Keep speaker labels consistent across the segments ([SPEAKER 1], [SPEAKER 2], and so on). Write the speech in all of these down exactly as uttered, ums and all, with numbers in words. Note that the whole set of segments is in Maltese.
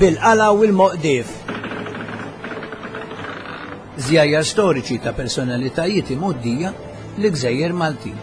[SPEAKER 1] Bil-qala u l-moqdif. Żjajjar storiċi ta' personalitajiet imgħoddija li gżejjer Maltin.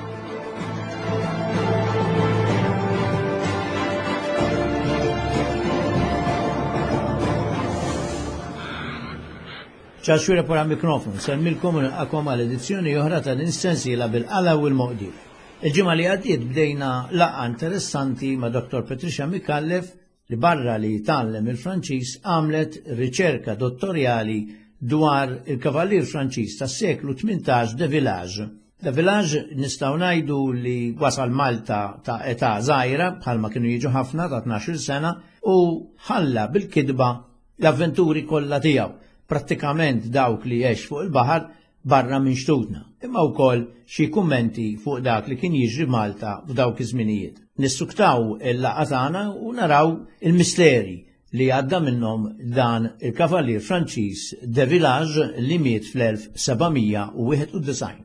[SPEAKER 1] ċaxwira pora mikrofon, semmilkom u nilqakom għal edizzjoni oħra tal-insensiela bil-qala u l-moqdif. Il-ġimgħa li għaddiet bdejna laqgħa interessanti ma' Dottor Patricia Micallef li barra li tgħallem il-Franċiż għamlet riċerka dottorjali dwar il-kavallier Franċiż tas-seklu tmintax de Village. De Village nistgħu ngħidu li wasal Malta ta' età żgħira bħalma kienu jiġu ħafna ta' tnax-il sena u ħalla bil-kitba l-avventuri kollha tiegħu, prattikament dawk li għex fuq il-baħar barra minn xtutna, imma wkoll xi kummenti fuq dak li kien jiġri Malta f'dawk iż-żminijiet. Nissuktaw il-laqgħa tagħna u naraw il-misteri li għadda minnhom dan il-kavallier Franċiż de Village li miet fl-elf sebgħamija u wieħed u disgħin.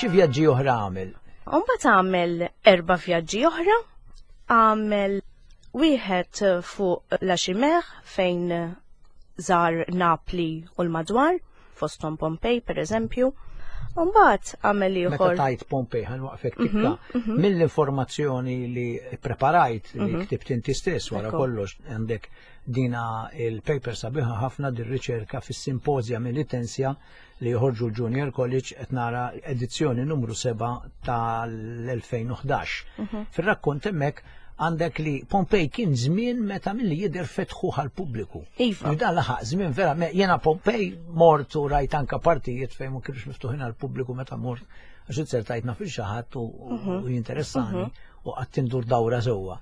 [SPEAKER 1] Xi vjaġġi oħra għamel?
[SPEAKER 2] Mbagħad għamel erba' vjaġġi oħra. Għamel wieħed fuq La Chimère fejn żar Napli u l-madwar, fosthom Pompej pereżempju. Mbagħad għamel
[SPEAKER 1] Meta
[SPEAKER 2] ieħor.
[SPEAKER 1] tajt Pompej ħa nwaqfek tikka.
[SPEAKER 2] Mhm, mhm.
[SPEAKER 1] Mill-informazzjoni li preparajt li
[SPEAKER 2] Mhm.
[SPEAKER 1] ktibt inti stess wara
[SPEAKER 2] Ekku.
[SPEAKER 1] kollox għandek dina il-paper sabiħa ħafna dir-riċerka fis-Simposia Melitensia li joħorġu l-Junior College qed nara edizzjoni numru seba' tal-elfejn u ħdax.
[SPEAKER 2] Mhm.
[SPEAKER 1] Fir-rakkont hemmhekk għandek li Pompej kien żmien meta milli jidher fetħu għall-pubbliku.
[SPEAKER 2] Iva.
[SPEAKER 1] U dan laħaq żmien vera, me-, jiena Pompej mort u rajt anka partijiet fejn ma kienux miftuħin għall-pubbliku meta mort, għax inzertajt naf il xi ħadd u, u
[SPEAKER 2] Mhm.
[SPEAKER 1] u jinteressani
[SPEAKER 2] Mhm.
[SPEAKER 1] u qatt indur dawra sewwa.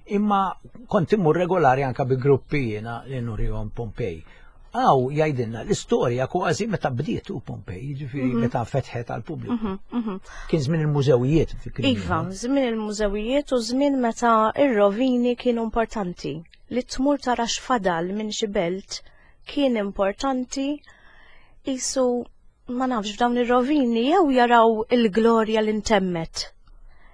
[SPEAKER 1] Imma kont immur regolari anka bi gruppi jiena li nurihom Pompej. Għaw jgħidilna l-istorja kważi meta bdiet u Pompej, jiġifieri
[SPEAKER 2] Mhm.
[SPEAKER 1] meta fetħet għall-pubbliku.
[SPEAKER 2] Mhm, mhm.
[SPEAKER 1] Kien żmien il-mużewijiet fi kliem
[SPEAKER 2] Iva,
[SPEAKER 1] ieħor.
[SPEAKER 2] żmien il-mużewijiet u żmien meta ir-rovini kienu importanti. Li tmur tara x'fadal minn xi belt kien importanti isu ma nafx f'dawn ir-rovini jew jaraw il-glorja li ntemmet.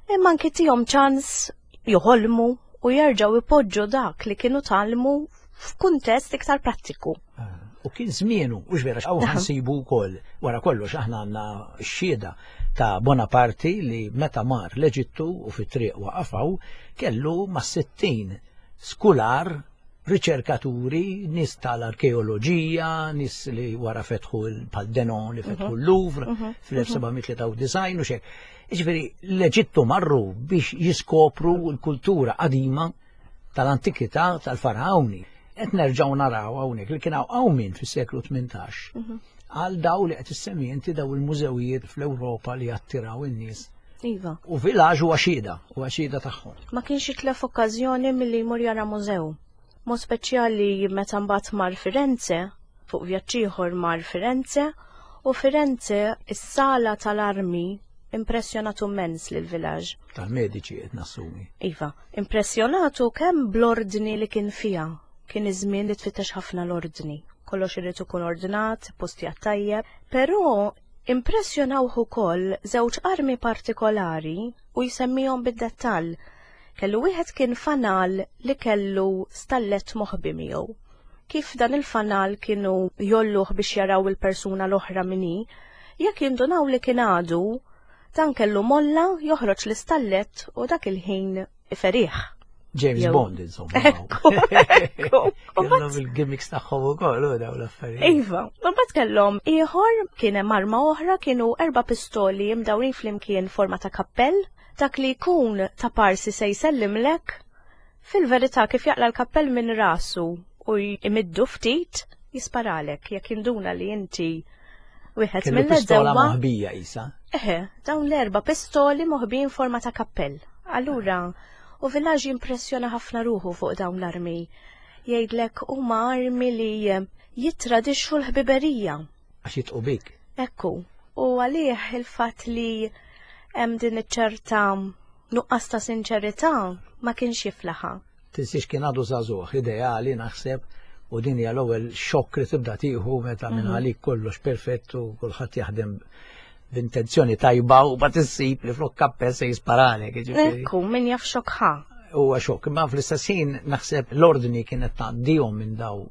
[SPEAKER 2] Imma anki tihom ċans joħolmu u jerġgħu ipoġġu dak li kienu talmu f'kuntest iktar prattiku.
[SPEAKER 1] Ah, u kien żmienu, u x'vera, hawn
[SPEAKER 2] Aha.
[SPEAKER 1] ħansibu wkoll, wara kollox aħna għandna x-xhieda ta' Bonaparte li meta mar l-Eġittu u fit-triq waqafaw kellu ma' sittin skular, riċerkaturi, nies tal-arkeoloġija, nies li wara fetħu l-, bħal Denon li fetħu
[SPEAKER 2] Mhm.
[SPEAKER 1] l-Louvre
[SPEAKER 2] Mhm.
[SPEAKER 1] fl-elf sebgħamija tlieta u disgħin u xek. Jiġifieri l-Eġittu marru biex jiskopru l-kultura qadima tal-antikità tal-faraoni. Qed nerġgħu naraw hawnhekk li kien hawn qawmien fis-seklu tmintax
[SPEAKER 2] Mhm.
[SPEAKER 1] għal daw li qed issemmi inti daw il-mużewijiet fl-Ewropa li attiraw in-nies.
[SPEAKER 2] Iva.
[SPEAKER 1] U Village huwa xhieda, huwa xhieda tagħhom.
[SPEAKER 2] Ma kienx jitlef okkażjoni milli jmur jara mużew. Mod speċjali meta mbagħad mar Firenze, fuq vjaġġ ieħor mar Firenze, u Firenze is-sala tal-armi impressjonatu immens lil Village.
[SPEAKER 1] Tal-mediċi qed nassumi.
[SPEAKER 2] Iva, impressjonatu kemm bl-ordni li kien fiha. Kien iż-żmien li tfittex ħafna l-ordni. Kollox irid ikun ordnat, postijat tajjeb, però impressjonawh ukoll żewġ armi partikolari u jsemmihom bid-dettall. Kellu wieħed kien fanal li kellu stallet moħbi miegħu. Kif dan il-fanal kienu jolluh biex jaraw il-persuna l-oħra min hi, jekk jindunaw li kien għadu, dan kellu molla joħroġ l-istallet u dak il-ħin iferih.
[SPEAKER 1] James
[SPEAKER 2] Jew-
[SPEAKER 1] Bond, insomma.
[SPEAKER 2] Ekku, ekku.
[SPEAKER 1] Kellhom il-gimmicks tagħhom ukoll u dawn l-affarijiet.
[SPEAKER 2] Iva, u mbagħad kellhom ieħor kien hemm arma oħra kienu erba' pistoli mdawrin flimkien forma ta' kappell, dak li jkun ta' parsi se jsellimlek, fil-verità kif jaqla l-kappell minn rasu u jmiddu ftit, jisparalek jekk jinduna li inti wieħed
[SPEAKER 1] Kellu pistola
[SPEAKER 2] mill-eżewwa.
[SPEAKER 1] moħbija isa.
[SPEAKER 2] Eħe, dawn l-erba' pistoli moħbijin forma ta' kappell. Allura, u Village jimpressjona ħafna ruħu fuq dawn l-armi. Jgħidlek huma armi li jitradixxu l-ħbiberija.
[SPEAKER 1] Għax jitqu bik.
[SPEAKER 2] Ekku, u għalih il-fatt li hemm din iċ-ċerta Nuqqas ta' sinċerità ma kienx jiflaħa.
[SPEAKER 1] Tinsiex kien għadu żagħżugħ, ideali naħseb, u din hija l-ewwel xokk li tibda tieħu meta minn għalik kollox perfett u kulħadd jaħdem b'intenzjoni tajba u bat issib li flok kappell se jisparalek. Jiġifieri.
[SPEAKER 2] Ekku, min jaf xokk ħa.
[SPEAKER 1] Huwa xokk, imma fl-istess ħin naħseb l-ordni kienet tgħaddihom minn daw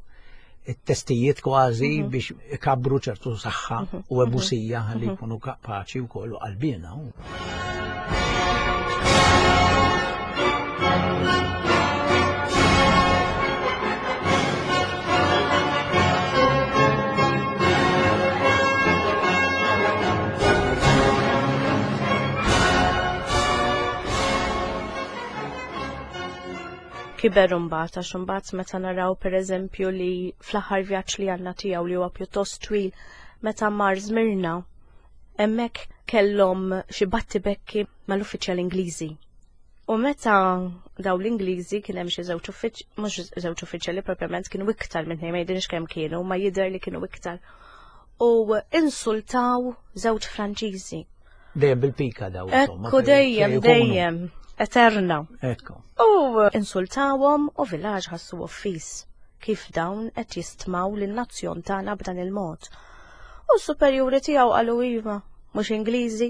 [SPEAKER 1] it-testijiet kważi biex ikabru ċertu saħħa u ebusija ħalli jkunu kapaċi wkoll u qalbina.
[SPEAKER 2] Kiber imbagħad, għax imbagħad meta naraw pereżempju li fl-aħħar vjaġġ li għandna tiegħu li huwa pjuttost twil meta mar Żmirna, hemmhekk kellhom xi battibekki mal-uffiċjali Ingliżi. U meta daw l-Ingliżi kien hemm xi żewġ uffiċ-, mhux żewġ uffiċjali propjament, kienu iktar minn tnejn, ma jidhirx kemm kienu, ma jidher li kienu iktar. U insultaw żewġ Franċiżi.
[SPEAKER 1] Dejjem bil-pika daw, insomma,
[SPEAKER 2] Ekku,
[SPEAKER 1] fejn
[SPEAKER 2] dejjem,
[SPEAKER 1] fejn ikunu.
[SPEAKER 2] dejjem, eterna.
[SPEAKER 1] Ekku.
[SPEAKER 2] U insultawhom u Village ħassu offis kif dawn qed jistmaw lin-nazzjon tagħna b'dan il-mod. U s-superjuri tiegħu qalu iva, mhux Ingliżi,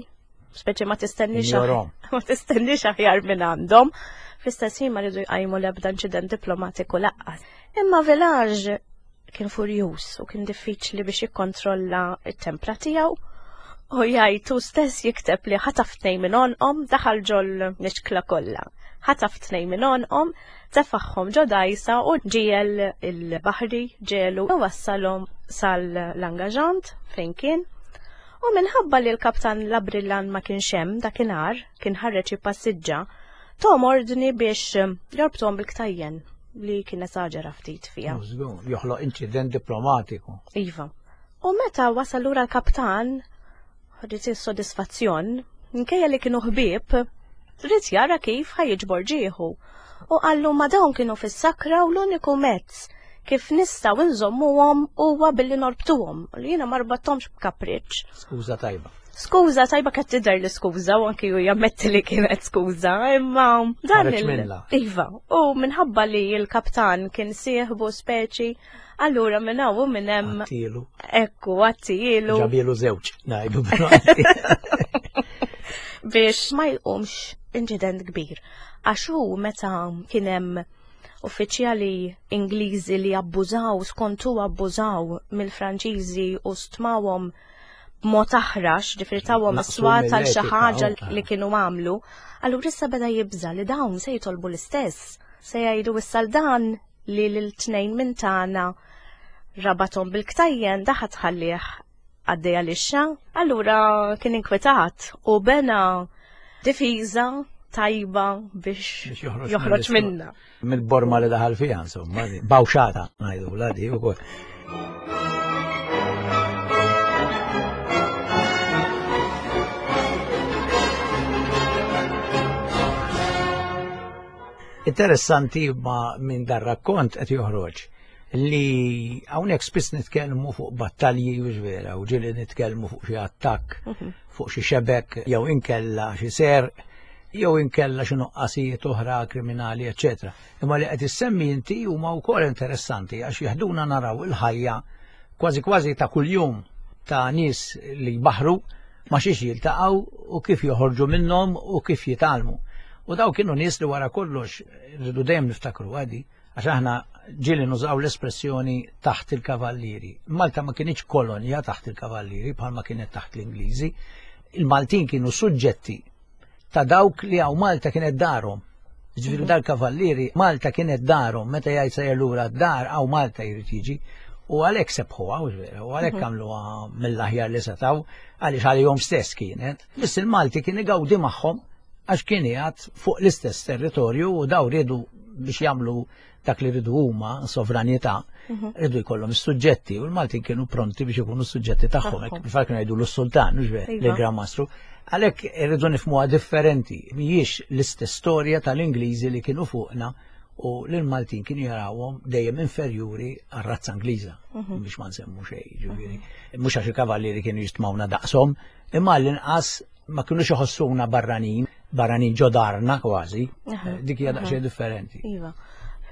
[SPEAKER 2] speċi ma tistennix
[SPEAKER 1] Ignorom.
[SPEAKER 2] ma tistennix aħjar minn għandhom. Fl-istess ħin ma rridu jqajmu l-ebda inċident diplomatiku laqqas. Imma Village kien furjuż u kien diffiċli biex jikkontrolla t-tempra tiegħu. U jgħid hu stess jikteb li ħataf tnejn minn għonqhom, daħal ġol nixkla kollha. Ħataf tnejn minn għonqhom, tefaħħom ġo dajsa u ġiel il-baħri ġelu u wassalhom sal-Langaġant fejn kien. U minħabba li l-kaptan Labrillan ma kienx hemm dakinhar, kien ħareġ jippassiġġa, tom ordni biex jorbtuhom bil-ktajjen li kien esaġera ftit fiha.
[SPEAKER 1] Żgur, joħloq inċident diplomatiku.
[SPEAKER 2] Iva. U meta wasal lura l-kaptan, ħadet is-sodisfazzjon, minkejja li kienu ħbieb, ried jara kif ħajġbor ġieħu. U qallu ma dawn kienu fis-sakra u l-uniku mezz kif nistgħu nżommuhom huwa billi norbtuhom. U li jiena ma rbatthomx b'kapriċċ.
[SPEAKER 1] Skuża tajba.
[SPEAKER 2] Skuża tajba qed tidher li skuża u anki hu jammetti li kienet skuża, imma dan
[SPEAKER 1] Ħareġ
[SPEAKER 2] il-
[SPEAKER 1] minnha.
[SPEAKER 2] Iva, u minħabba li l-kaptan kien sieħbu speċi, allura minn hawn u minn hemm
[SPEAKER 1] Għattielu.
[SPEAKER 2] Ekku, għattielu.
[SPEAKER 1] Ġabielu żewġ, ngħidu bil-Malti.
[SPEAKER 2] Biex ma jqumx inċident kbir. Għax hu meta kien hemm uffiċjali Ingliżi li abbużaw, skont hu abbużaw mill-Franċiżi u stmawhom b'mod aħrax, ġifieri tawhom
[SPEAKER 1] Naqsu
[SPEAKER 2] is-swat għal xi
[SPEAKER 1] mill-etika,
[SPEAKER 2] ħaġa
[SPEAKER 1] u-
[SPEAKER 2] li kienu għamlu, allura issa beda jibża' li dawn se jitolbu l-istess. Se jgħidu issa dan li lil tnejn minn tagħna rabathom bil-ktajjen daħat ħallih għaddejja lixxa. Allura kien inkwetat u bena difiża tajba biex
[SPEAKER 1] Biex joħroġ
[SPEAKER 2] joħroġ
[SPEAKER 1] mill-istu-
[SPEAKER 2] minna.
[SPEAKER 1] Mill-borma li daħal fiha, insomma, bawxata, ngħidu la di wkoll. Interessanti ma minn dar rakkont qed joħroġ li hawnhekk spiss nitkellmu fuq battalji u vera, u ġieli nitkellmu fuq xi attakk, fuq xi xebek, jew inkella xi serq, jew inkella xi nuqqasijiet oħra kriminali, eċċetera. Imma li qed issemmi inti huma wkoll interessanti għax jeħduna naraw il-ħajja kważi kważi ta' kuljum ta' nies li jbaħru ma xiex jiltaqgħu u kif joħorġu minnhom u kif jitgħallmu. U daw kienu nies li wara kollox rridu dejjem niftakru għadi, għax aħna ġieli nużaw l-espressjoni taħt il-kavallieri. Malta ma kienx kolonja taħt il-kavallieri bħalma kienet taħt l-Ingliżi. Il-Maltin kienu suġġetti ta' dawk li għaw Malta kienet darhom. Ġifieri dal-kavallieri Malta kienet darhom, meta jgħid sejjer lura d-dar għaw Malta jrid jiġi. U għalhekk sebħuha, u vera, u għalhekk għamluha mill-aħjar li setgħu, għaliex għalihom stess kienet. Biss il-Malti kien igawdi magħhom għax kien qiegħed fuq l-istess territorju u daw riedu biex jagħmlu dak li rridu huma, sovranità, rridu jkollhom is-suġġetti u l-Maltin kienu pronti biex ikunu s-suġġetti tagħhom, hekk bil-fatt kienu jgħidu l-sultan, mhux vera,
[SPEAKER 2] Iva.
[SPEAKER 1] l-Gran Mastru. Għalhekk irridu nifhmuha differenti, mhijiex l-istess storja tal-Ingliżi li kienu fuqna u l-Maltin kienu jarawhom dejjem inferjuri għar-razza Ingliża, biex ma nsemmu xejn, ġifieri. Mhux għax il-kavallieri kienu jistmawna daqshom, imma l-inqas Ma kinux iħossuna barranin, barranin ġo darna kważi, dik hija daqsxejn differenti.
[SPEAKER 2] Iva.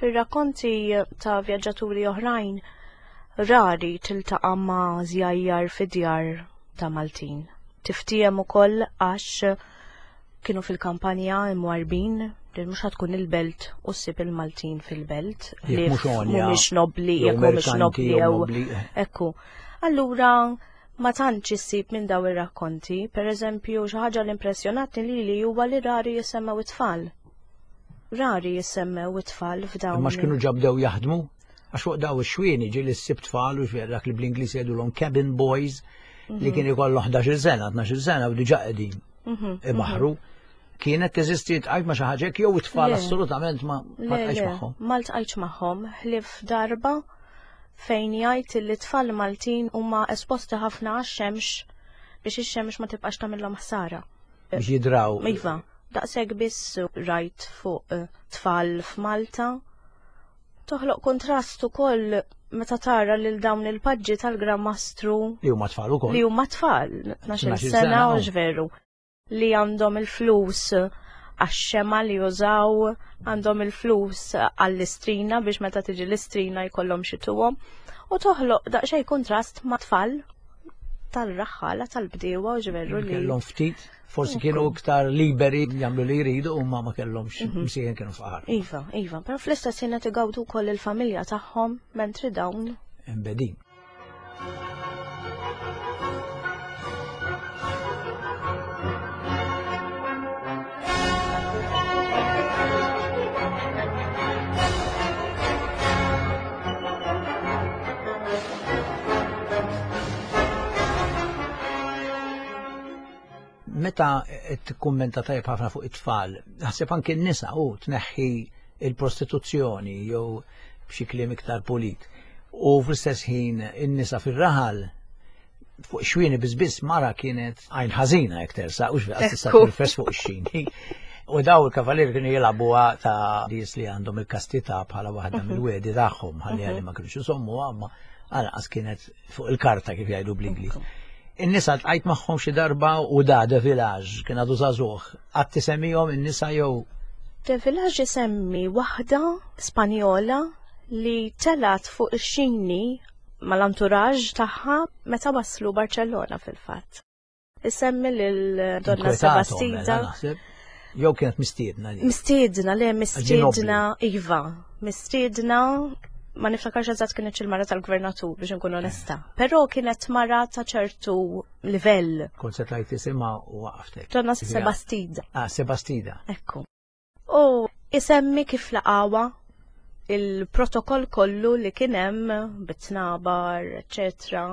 [SPEAKER 2] Fir-rakkonti ta' vjaġġaturi oħrajn rari tiltaqa' ma' żjajjar fid-djar ta' Maltin. Tiftiem ukoll għax kienu fil-kampanja imwarbin, li mhux tkun il-belt u ssib il-Maltin fil-belt.
[SPEAKER 1] Li
[SPEAKER 2] mhumiex nobli, jekk mhumiex nobli jew ekku. Allura ma tantx issib minn daw ir-rakkonti, pereżempju xi ħaġa li impressjonatni lili huwa li rari jissemmew it-tfal. Rari jissemmew it-tfal f'dawn.
[SPEAKER 1] Imma x'kienu ġabdew jaħdmu? Għax fuq daw ix-xwieni ġieli ssib tfal u dak li bl-Ingliż jgħidulhom cabin boys li kien ikollhom ħdax-il sena, tnax-il sena u diġà qegħdin ibaħru. Kienet teżisti tqajt ma' xi ħaġa jew it-tfal assolutament ma tqajtx magħhom.
[SPEAKER 2] Ma ltqajtx magħhom, ħlief darba fejn jgħid li t-tfal Maltin huma esposti ħafna għax-xemx biex ix-xemx ma tibqax tagħmilhom ħsara.
[SPEAKER 1] Biex jidraw.
[SPEAKER 2] Iva, daqshekk biss rajt fuq tfal f'Malta. Toħloq kontrast ukoll meta tara lil dawn il-paġġi tal-Gran Mastru
[SPEAKER 1] li huma tfal ukoll.
[SPEAKER 2] Li huma tfal, tnax-il sena u veru. Li għandhom il-flus għax-xema li jużaw, għandhom il-flus għall-istrina biex meta tiġi l-istrina jkollhom xi tuhom, u toħloq daqsxejn kontrast ma' tfal tal-raħħala tal-bdiewa u ġveru li
[SPEAKER 1] kellhom ftit, forsi kienu iktar liberi jagħmlu li jridu u ma ma kellhomx msieħen kienu faqar.
[SPEAKER 2] Iva, iva, però fl-istess ħin qed igawdu wkoll il-familja tagħhom mentri dawn
[SPEAKER 1] imbedin. Meta tikkummenta tajjeb ħafna fuq it-tfal, naħseb anke n-nisa u tneħħi il-prostituzzjoni jew b'xi kliem iktar pulit. U fl-istess ħin in-nisa fir-raħal fuq xwieni biss biss mara kienet għajn ħażina jekk tersa, u x'faqas tista' tirfes fuq ix-xini. U daw il-kavalieri kienu jilagħbuha ta' nies li għandhom il-kastità bħala waħda mill-wedi tagħhom, ħalli għalli ma kinux isommuha, imma anqas kienet fuq il-karta kif jgħidu bl-Ingliż. In-nisa ltqajt magħhom xi darba u da De Village kien għadu żagħżugħ. Qatt tisemmihom in-nisa jew?
[SPEAKER 2] De Village isemmi waħda Spanjola li telat fuq ix-xini mal-entourage tagħha meta waslu Barcellona fil-fatt. Isemmi lil Donna Sebastida.
[SPEAKER 1] Jew kienet mistiedna li.
[SPEAKER 2] Mistiedna, le mistiedna, iva, mistiedna. Ma niftakarx eżatt kienet il-mara tal-gvernatur biex nkun onesta. Però kienet mara ta' ċertu livell.
[SPEAKER 1] Kont se tlajt isimha u waqaftek.
[SPEAKER 2] Donna Sebastida.
[SPEAKER 1] Ah, Sebastida.
[SPEAKER 2] Ekku. U isemmi kif laqawa il-protokoll kollu li kien hemm bit-tnabar, eċetera.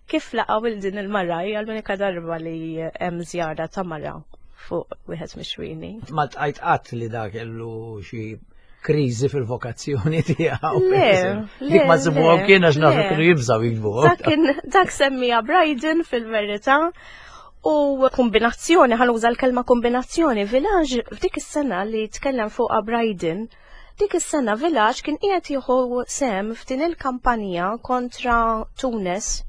[SPEAKER 2] Kif laqaw il din il-mara, hija l-unika darba li hemm żjara ta' mara fuq wieħed mix-xwieni.
[SPEAKER 1] Ma tqajt qatt li dak kellu xi kriżi fil-vokazzjoni tiegħu.
[SPEAKER 2] Le,
[SPEAKER 1] dik ma sibuha kien għax nafu kienu jibżgħu jiktbuha.
[SPEAKER 2] Dak kien dak semmija Brydon fil-verità u kombinazzjoni, ħanuża l-kelma kombinazzjoni, Village f'dik is-sena li tkellem fuqha Brydon, dik is-sena Village kien qiegħed jieħu sem f'din il-kampanja kontra Tunis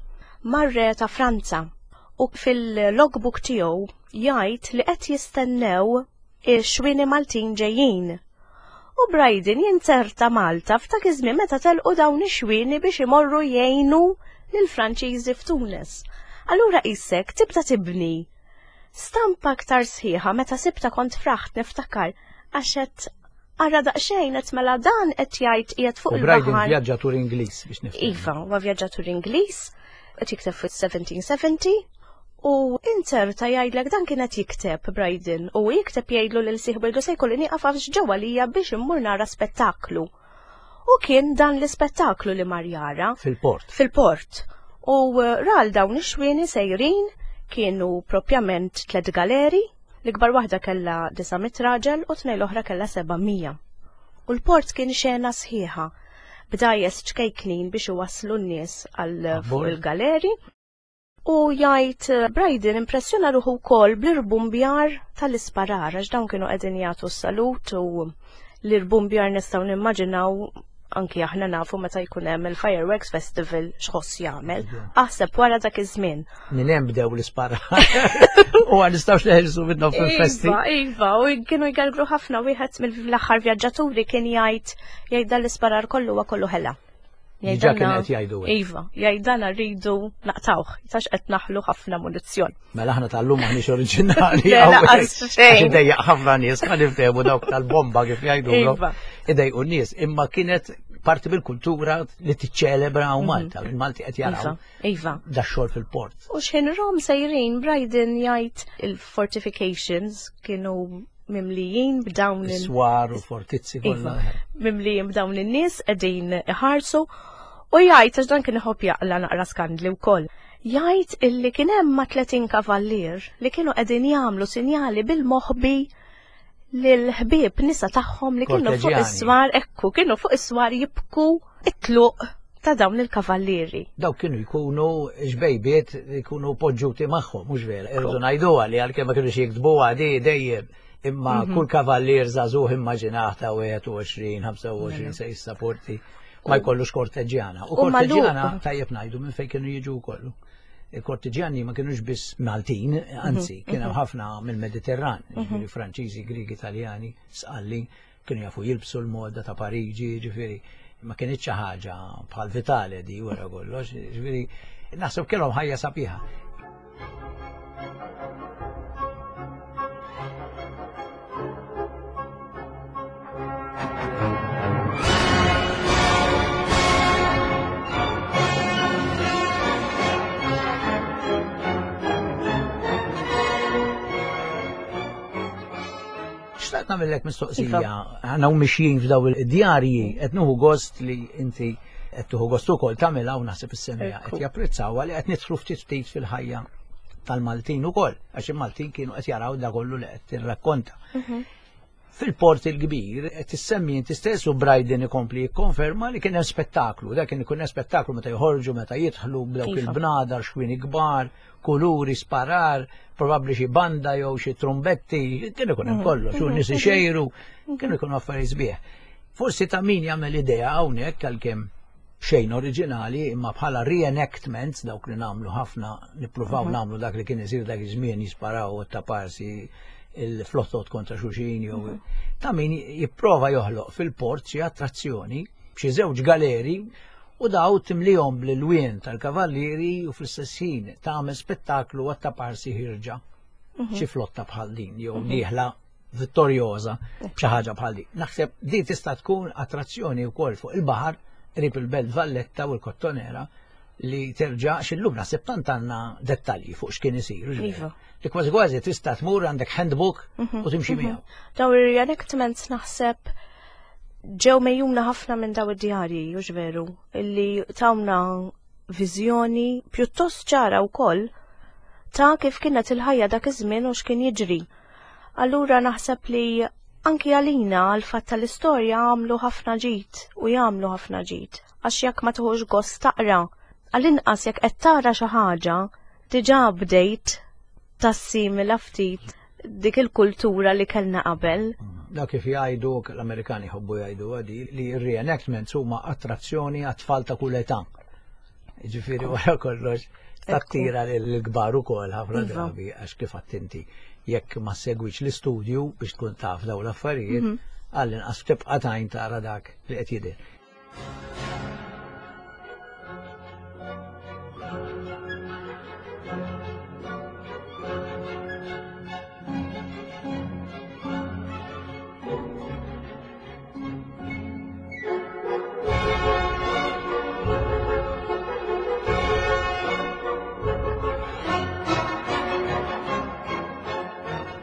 [SPEAKER 2] mar-re ta' Franza u fil-logbook tiegħu jgħid li qed jistennew ix-xwieni Maltin ġejjin. U Brydon jinzerta Malta f'dak iż-żmien meta telqu dawn ix-xwieni biex imorru jgħinu lill-Franċiżi f'Tunis. Allura qisek tibda tibni stampa aktar sħiħa meta sibta kont fraħt niftakar għax qed ara daqsxejn qed mela dan qed jgħid qiegħed fuq il-baħar.
[SPEAKER 1] U Brydon vjaġġatur Ingliż biex nifhem.
[SPEAKER 2] Iva, huwa vjaġġatur Ingliż, qed jikteb fis-seventeen seventy. U inzerta jgħidlek dan kienet jikteb Brydon u jikteb jgħidlu lil sieħbu jgħidlu se jkolli nieqaf għax ġewwa lija biex immur nara spettaklu. U kien dan l-ispettaklu li mar jara.
[SPEAKER 1] Fil-port.
[SPEAKER 2] Fil-port. U ral dawn ix-xwieni sejrin kienu propjament tliet galeri, l-ikbar waħda kellha disa' mitt raġel u tnejn l-oħra kellha seba' mija. U l-port kien xena sħiħa b'dajjes ċkejknin biex iwasslu n-nies għal fuq il-galeri. U jgħid Brydon impressjona ruħu wkoll bl-irbumbjar tal-isparar, għax dawn kienu qegħdin jagħtu s-salut u l-irbumbjar nistgħu nimmaġinaw Anki aħna nafu meta jkun hemm il-Fireworks Festival x'ħoss jagħmel. Aħseb wara dak iż-żmien.
[SPEAKER 1] Minn hemm bdew l-ispara. U għal nistgħux neħilsu minnhom fil-festi.
[SPEAKER 2] Iva, iva, u kienu jgargru ħafna wieħed mill-aħħar vjaġġaturi kien jgħid jgħid dan l-isparar kollu huwa kollu ħela.
[SPEAKER 1] Diġà kien qed jgħidu hekk.
[SPEAKER 2] Iva, jgħidana rridu naqtawh, tax qed naħlu ħafna munizzjon.
[SPEAKER 1] Mela aħna tal-lum maħniex oriġinali.
[SPEAKER 2] Le, laqas xejn.
[SPEAKER 1] Idejjaq ħafna nies, ħa niftehmu dawk tal-bomba kif jgħidu.
[SPEAKER 2] Iva.
[SPEAKER 1] Idejqu n-nies, imma kienet parti mill-kultura li tiċċelebra hawn Malta, il-Malti qed jaraw
[SPEAKER 2] Iva, iva.
[SPEAKER 1] da xogħol fil-port.
[SPEAKER 2] U xħin rom sejrin, Brydon jgħid il-fortifications kienu mimlijin b'dawn il-
[SPEAKER 1] Swar u fortizzi
[SPEAKER 2] Iva,
[SPEAKER 1] kollha.
[SPEAKER 2] mimlijin b'dawn in-nies qegħdin iħarsu u jgħid għax dan kien iħobb jaqla naqra skandli wkoll. Jgħid illi kien hemm ma' tletin kavallier li kienu qegħdin jagħmlu sinjali bil-moħbi lil-ħbieb nisa tagħhom li kienu fuq
[SPEAKER 1] Korteġjani.
[SPEAKER 2] is-swar, ekku, kienu fuq is-swar jibku it-tluq ta' dawn il-kavallieri.
[SPEAKER 1] Dawk kienu jkunu xbejbiet jkunu poġġuti magħhom, mhux vera. Irridu ngħiduha li għalkemm ma kinux jiktbuha di dejjem. Imma kull kavallier żagħżugħ immaġinah ta' wieħed u għoxrin, ħamsa u għoxrin se jissaporti ma jkollux korteġġjana. U
[SPEAKER 2] U magħluq.
[SPEAKER 1] korteġġjana tajjeb ngħidu minn fejn kienu jiġu kollu. Il-korteġġjani ma kienux biss Maltin, anzi, kien hemm ħafna mill-Mediterran, ġifieri Franċiżi, Griegi, Italjani, Sqalli, kienu jafu jilbsu l-moda ta' Pariġi, ġifieri ma kienx xi ħaġa bħal Vitale di wara kollox, ġifieri naħseb kellhom ħajja sabiħa. Xtaqt nagħmellek mistoqsija, aħna u mixjin f'daw id-djarji, qed nieħu gost li inti qed tieħu gost ukoll tagħmilha u naħseb is-semija qed
[SPEAKER 2] Ekku.
[SPEAKER 1] japprezzawha li qed nidħlu ftit ftit fil-ħajja tal-Maltin ukoll, għax il-Maltin kienu qed jaraw da kollu li qed tirrakkonta. Fil-port il-kbir, qed issemmi inti stess u Brydon ikompli jikkonferma li kien hemm spettaklu, dak kien ikun hemm spettaklu meta joħorġu, meta jidħlu b'dawk
[SPEAKER 2] Iva.
[SPEAKER 1] il-bnadar, xwini kbar, kuluri, sparar, probabbli xi banda jew xi trumbetti, kien ikun hemm kollox, u nies ixejru, kienu ikunu affarijiet sbieħ. Forsi ta' min jagħmel idea hawnhekk għalkemm xejn oriġinali, imma bħala reenactments, dawk li nagħmlu ħafna, nippruvaw nagħmlu dak li kien isir dak iż-żmien jisparaw u taparsi il-flottot kontra xulxin jew ta' min jipprova joħloq fil-port xi attrazzjoni b'xi żewġ galeri u daw timlihom bl-ilwien tal-kavallieri u fl-istess ħin tagħmel spettaklu għat taparsi ħirġa xi flotta bħal din jew dieħla vittorjoża b'xi ħaġa bħal din. Naħseb din tista' tkun attrazzjoni wkoll fuq il-baħar qrib il-Belt Valletta u l-Kottonera li terġa' x'illum naħseb tant għandna dettalji fuq x'kien isir. u x'vera.
[SPEAKER 2] Iva.
[SPEAKER 1] Li kważi kważi tista' tmur għandek handbook u timxi miegħu.
[SPEAKER 2] Daw ir-reenactments naħseb ġew mejjuna ħafna minn daw id-djarji, hux veru, illi tawna viżjoni pjuttost ċara wkoll ta' kif kienet il-ħajja dak iż-żmien u x'kien jiġri. Allura naħseb li anki għalina għal fatt tal-istorja għamlu ħafna ġid u jagħmlu ħafna ġid. Għax jekk ma tieħux gost taqra, għall-inqas jekk qed tara xi ħaġa, diġà bdejt tassimila ftit dik il-kultura li kellna qabel.
[SPEAKER 1] Da kif jgħidu, l-Amerikani jħobbu jgħidu għadi, li r-reenactments huma attrazzjoni għat-tfal ta' kull età. Ġifieri wara kollox, tattira l-kbar ukoll ħafna
[SPEAKER 2] Iva.
[SPEAKER 1] drabi għax kif attenti jekk ma segwix l-istudju biex tkun taf daw l-affarijiet, għall-inqas tibqa' tajn tara dak li qed jidher.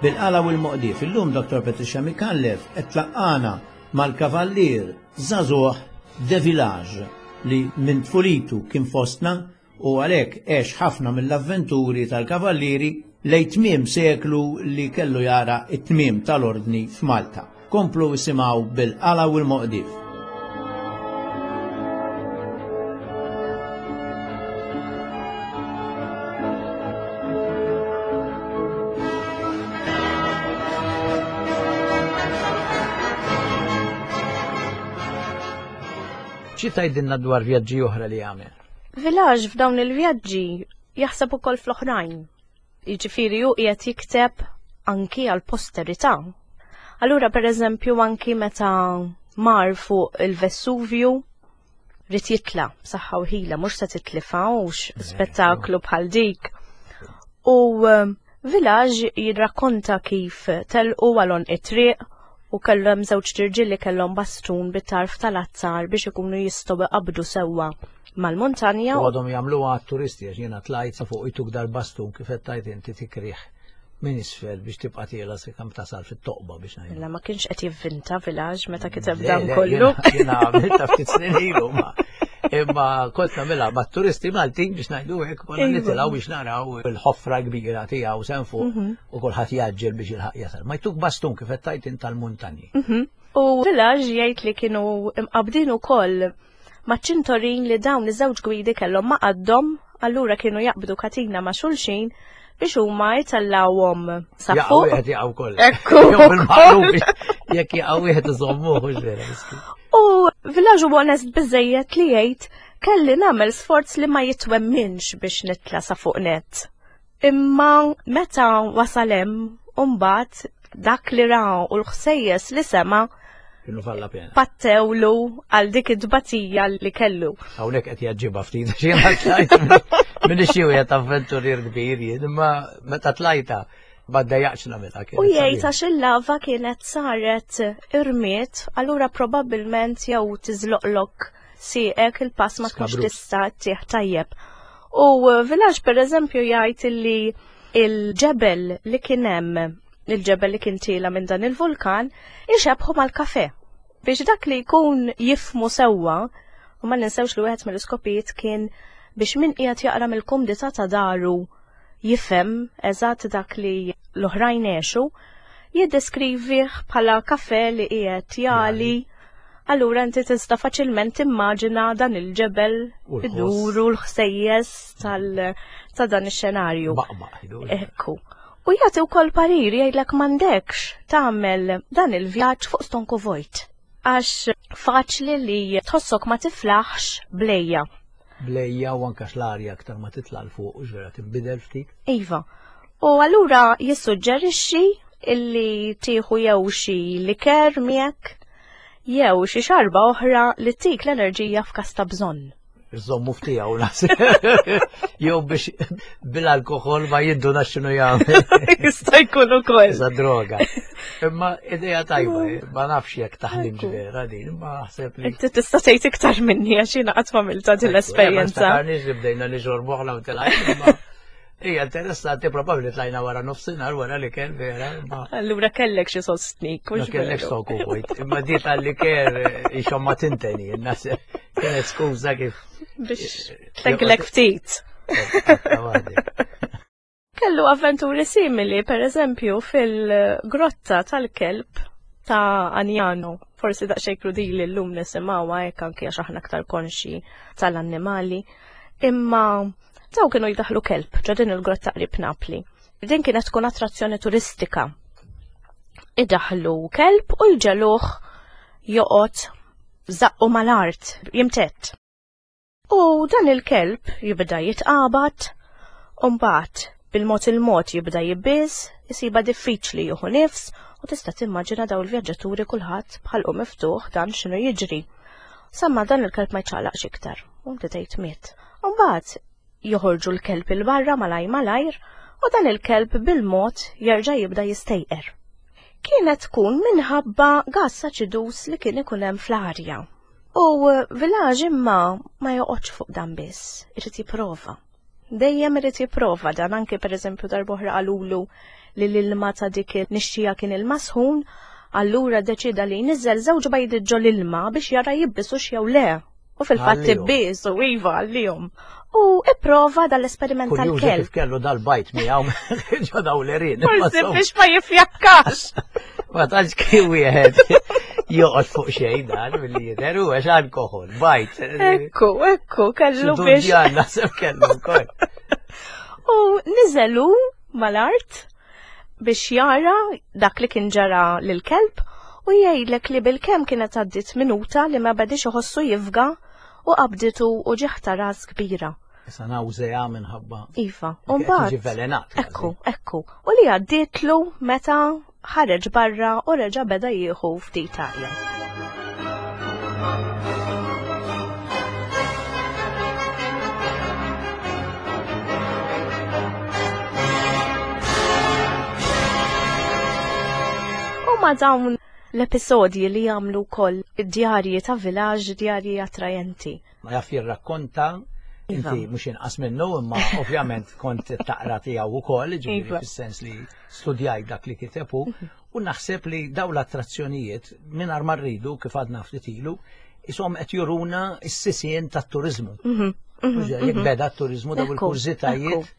[SPEAKER 1] Bil-qala u l-moqdif, illum Dottor Patricia Micallef qed tlaqqana mal-kavallier żagħżugħ de Village li minn tfulitu kien fostna u għalhekk għex ħafna mill-avventuri tal-kavallieri lejn tmiem seklu li kellu jara it-tmiem tal-ordni f'Malta. Komplu isimgħu bil-qala u l-moqdif. Xi tgħidilna dwar vjaġġi oħra li għamel?
[SPEAKER 2] Village f'dawn il-vjaġġi jaħseb ukoll fl-oħrajn. Jiġifieri hu qiegħed jikteb anki għal posterità. Allura pereżempju anki meta mar fuq il-Vesuvju ried jitla' b'saħħa u ħila, mhux se titlifawx spettaklu bħal dik. U eh, Village jirrakkonta kif telqu għal it-triq u kellhom żewġ tirġiel li kellhom bastun bit-tarf tal-azzar biex ikunu jistgħu iqabdu sewwa mal-muntanja.
[SPEAKER 1] U għadhom jagħmluha għat-turisti, għax jiena tlajt sa fuq, jtuk dal-bastun, kif qed tgħid inti, tikrih minn isfel biex tibqa' tiela se kemm tasal fit-toqba, biex ngħidu.
[SPEAKER 2] Illa ma kienx qed jivvinta Village meta kiteb
[SPEAKER 1] Le,
[SPEAKER 2] dan
[SPEAKER 1] le,
[SPEAKER 2] kollu.
[SPEAKER 1] Jiena jiena għamiltha ftit snin ilu, ma imma kont nagħmilha mat-turisti Maltin, biex ngħidu hekk, konna
[SPEAKER 2] Iva.
[SPEAKER 1] nitilgħu biex naraw il-ħofra kbira tiegħu s'hemm fuq
[SPEAKER 2] Mhm.
[SPEAKER 1] u kulħadd jaġġel biex jilħaq jasal. Ma jtuk bastun, kif qed tgħid int, tal-muntanji.
[SPEAKER 2] Mhm. U Village jgħid li kienu imqabdin ukoll maċ-ċintorin li dawn iż-żewġ gwidi kellhom ma' qaddhom, allura kienu jaqbdu katina ma' xulxin biex huma jtellawhom sa
[SPEAKER 1] Jaqgħu
[SPEAKER 2] fuq.
[SPEAKER 1] wieħed, jaqgħu kollha.
[SPEAKER 2] Ekku.
[SPEAKER 1] Jew bil-maqlub, jekk jaqgħu wieħed iżommuh, hux vera, miskin?
[SPEAKER 2] U Village huwa onest biżejjed li jgħid: "Kelli nagħmel sforz li ma jitwemminx biex nitla' sa fuq net." Imma meta wasal hemm, mbagħad dak li ra u l-ħsejjes li sema'
[SPEAKER 1] Kienu valla pena.
[SPEAKER 2] pattewlu għal dik id-dbatija li kellu.
[SPEAKER 1] Hawnhekk qed jaġġibha ftit, għax jiena tlajt minn xi wieħed avventurier kbir jien, imma meta tlajta ma ddejjaqx nagħmilha.
[SPEAKER 2] U jgħid għax il-lava kienet saret irmied, allura probabbilment jew tiżloqlok sieqek, il-pass ma tkunx
[SPEAKER 1] Skabrus.
[SPEAKER 2] tista' tieħ tajjeb. U Village per eżempju jgħid illi il-ġebel li kien hemm, il-ġebel li kien tiela minn dan il-vulkan, ixebħu mal-kafe. Biex dak li jkun jifmu sewwa, u ma ninsewx li wieħed mill-iskopijiet kien biex min qiegħed jaqra mill-kumdità ta' daru jifhem eżatt dak li l-oħrajn għexu, jiddeskrivih bħala kafe li qiegħed jagħli. Allura inti tista' faċilment timmaġina dan il-ġebel
[SPEAKER 1] U l-ħoss.
[SPEAKER 2] iduru l-ħsejjes tal- ta' dan ix-xenarju.
[SPEAKER 1] Baqbaq.
[SPEAKER 2] Ekku. U jagħti wkoll parir, jgħidlek m'għandekx tagħmel dan il-vjaġġ fuq stonku vojt. Għax faċli li tħossok ma tiflaħx bl-għeja.
[SPEAKER 1] Bl-għeja u anka l-arja aktar ma titla' 'l fuq, u vera tinbidel ftit.
[SPEAKER 2] Iva. U allura jissuġġerixxi illi tieħu jew xi liker miegħek jew xi xarba oħra li tik l-enerġija f'każ ta' bżonn.
[SPEAKER 1] Iżommu ftijaw naħseb. Jew biex bil-alkohol ma jinduna x'inhu jagħmel.
[SPEAKER 2] Jista' jkun ukoll.
[SPEAKER 1] Isa droga. Imma idea tajba, eh, ma nafx jekk taħdimx vera din, imma naħseb li.
[SPEAKER 2] Inti tista' tgħid iktar minni għax jiena qatt m'għamilta din l-esperjenza.
[SPEAKER 1] Ma niftakarniex li bdejna nixorbu aħna u telajna, imma hija interessanti, probabbli tlajna wara nofsinhar wara li kien vera, imma
[SPEAKER 2] Allura kellek xi sostnik,
[SPEAKER 1] ma
[SPEAKER 2] mhux
[SPEAKER 1] kellek
[SPEAKER 2] veru?
[SPEAKER 1] stonku vojt. Imma di tal-liker ixom ma tinteni, naħseb kienet skuża kif.
[SPEAKER 2] Biex tleglek ftit. Kellu avventuri simili, per eżempju, fil-grotta tal-kelb ta' Agnano. Forsi daqsxejn krudili llum nisimgħuha hekk, anki għax aħna aktar konxi tal-annimali. Imma daw kienu jdaħlu kelb ġo din il-grotta qrib Napli. Din kienet tkun attrazzjoni turistika. Idaħlu kelb u jġegħluh joqgħod żaqqu mal-art, jimtett. U dan il-kelb jibda jitqabad, u mbagħad bil-mod il-mod jibda jibbiż, jisibha diffiċli jieħu nifs, u tista' timmaġina daw il-vjaġġaturi, kulħadd b'ħalqu miftuħ, dan x'inhu jiġri. Samma dan il-kelb ma jċaqlaqx iktar, u inti tgħid miet. U mbagħad joħorġu l-kelb 'il barra malaj malajr u dan il-kelb bil-mod jerġa' jibda jistejqer. Kienet tkun minħabba gas aċidus li kien ikun hemm fl-arja. U Village imma ma joqgħodx fuq dan biss, irid jipprova. Dejjem irid jipprova dan, anke pereżempju darb'oħra qalulu li l-ilma ta' dik il-nixxija kien ilma sħun, allura deċida li jniżżel żewġ bajdiet ġo l-ilma biex jara jibbisux jew le. U fil-fatt
[SPEAKER 1] Għallihom.
[SPEAKER 2] ibbisu, iva, għallihom. U ipprova dal-esperiment
[SPEAKER 1] Kurjuża
[SPEAKER 2] tal-kelb.
[SPEAKER 1] kif kellu dal-bajt miegħu ġo daw l-għerien.
[SPEAKER 2] Forsi biex ma jifjakkax.
[SPEAKER 1] Ma tantx kien wieħed joqgħod fuq xejn dan milli jidher, u għax alkohol, bajt.
[SPEAKER 2] Ekku, ekku, kellu biex.
[SPEAKER 1] Dudjan naħseb kellu wkoll.
[SPEAKER 2] U niżelu mal-art biex jara dak li kien ġara lil-kelb u jgħidlek li bil-kemm kienet għaddit minuta li ma bedix iħossu jifga. U qabditu u ġieħ ta' ras kbira.
[SPEAKER 1] Issa nawżea minħabba.
[SPEAKER 2] Iva, u mbagħad.
[SPEAKER 1] Jiġi velenat.
[SPEAKER 2] Ekku, ekku. U li għaddietlu meta ħareġ barra u reġa' beda jieħu ftit arja. U ma dawn l-episodji li jagħmlu wkoll id-djarji ta' Village, djarji attrajenti.
[SPEAKER 1] Ma jaf jirrakkonta. Inti mhux inqas minnu, imma ovvjament kont taqra tiegħu wkoll, ġifieri fis-sens li studjajt dak li kiteb hu, u naħseb li dawn l-attrazzjonijiet mingħajr ma rridu kif għadna ftit ilu, ishom qed juruna s-sisien tat-turiżmu. Jekk beda t-turiżmu dawn il-kurżitajiet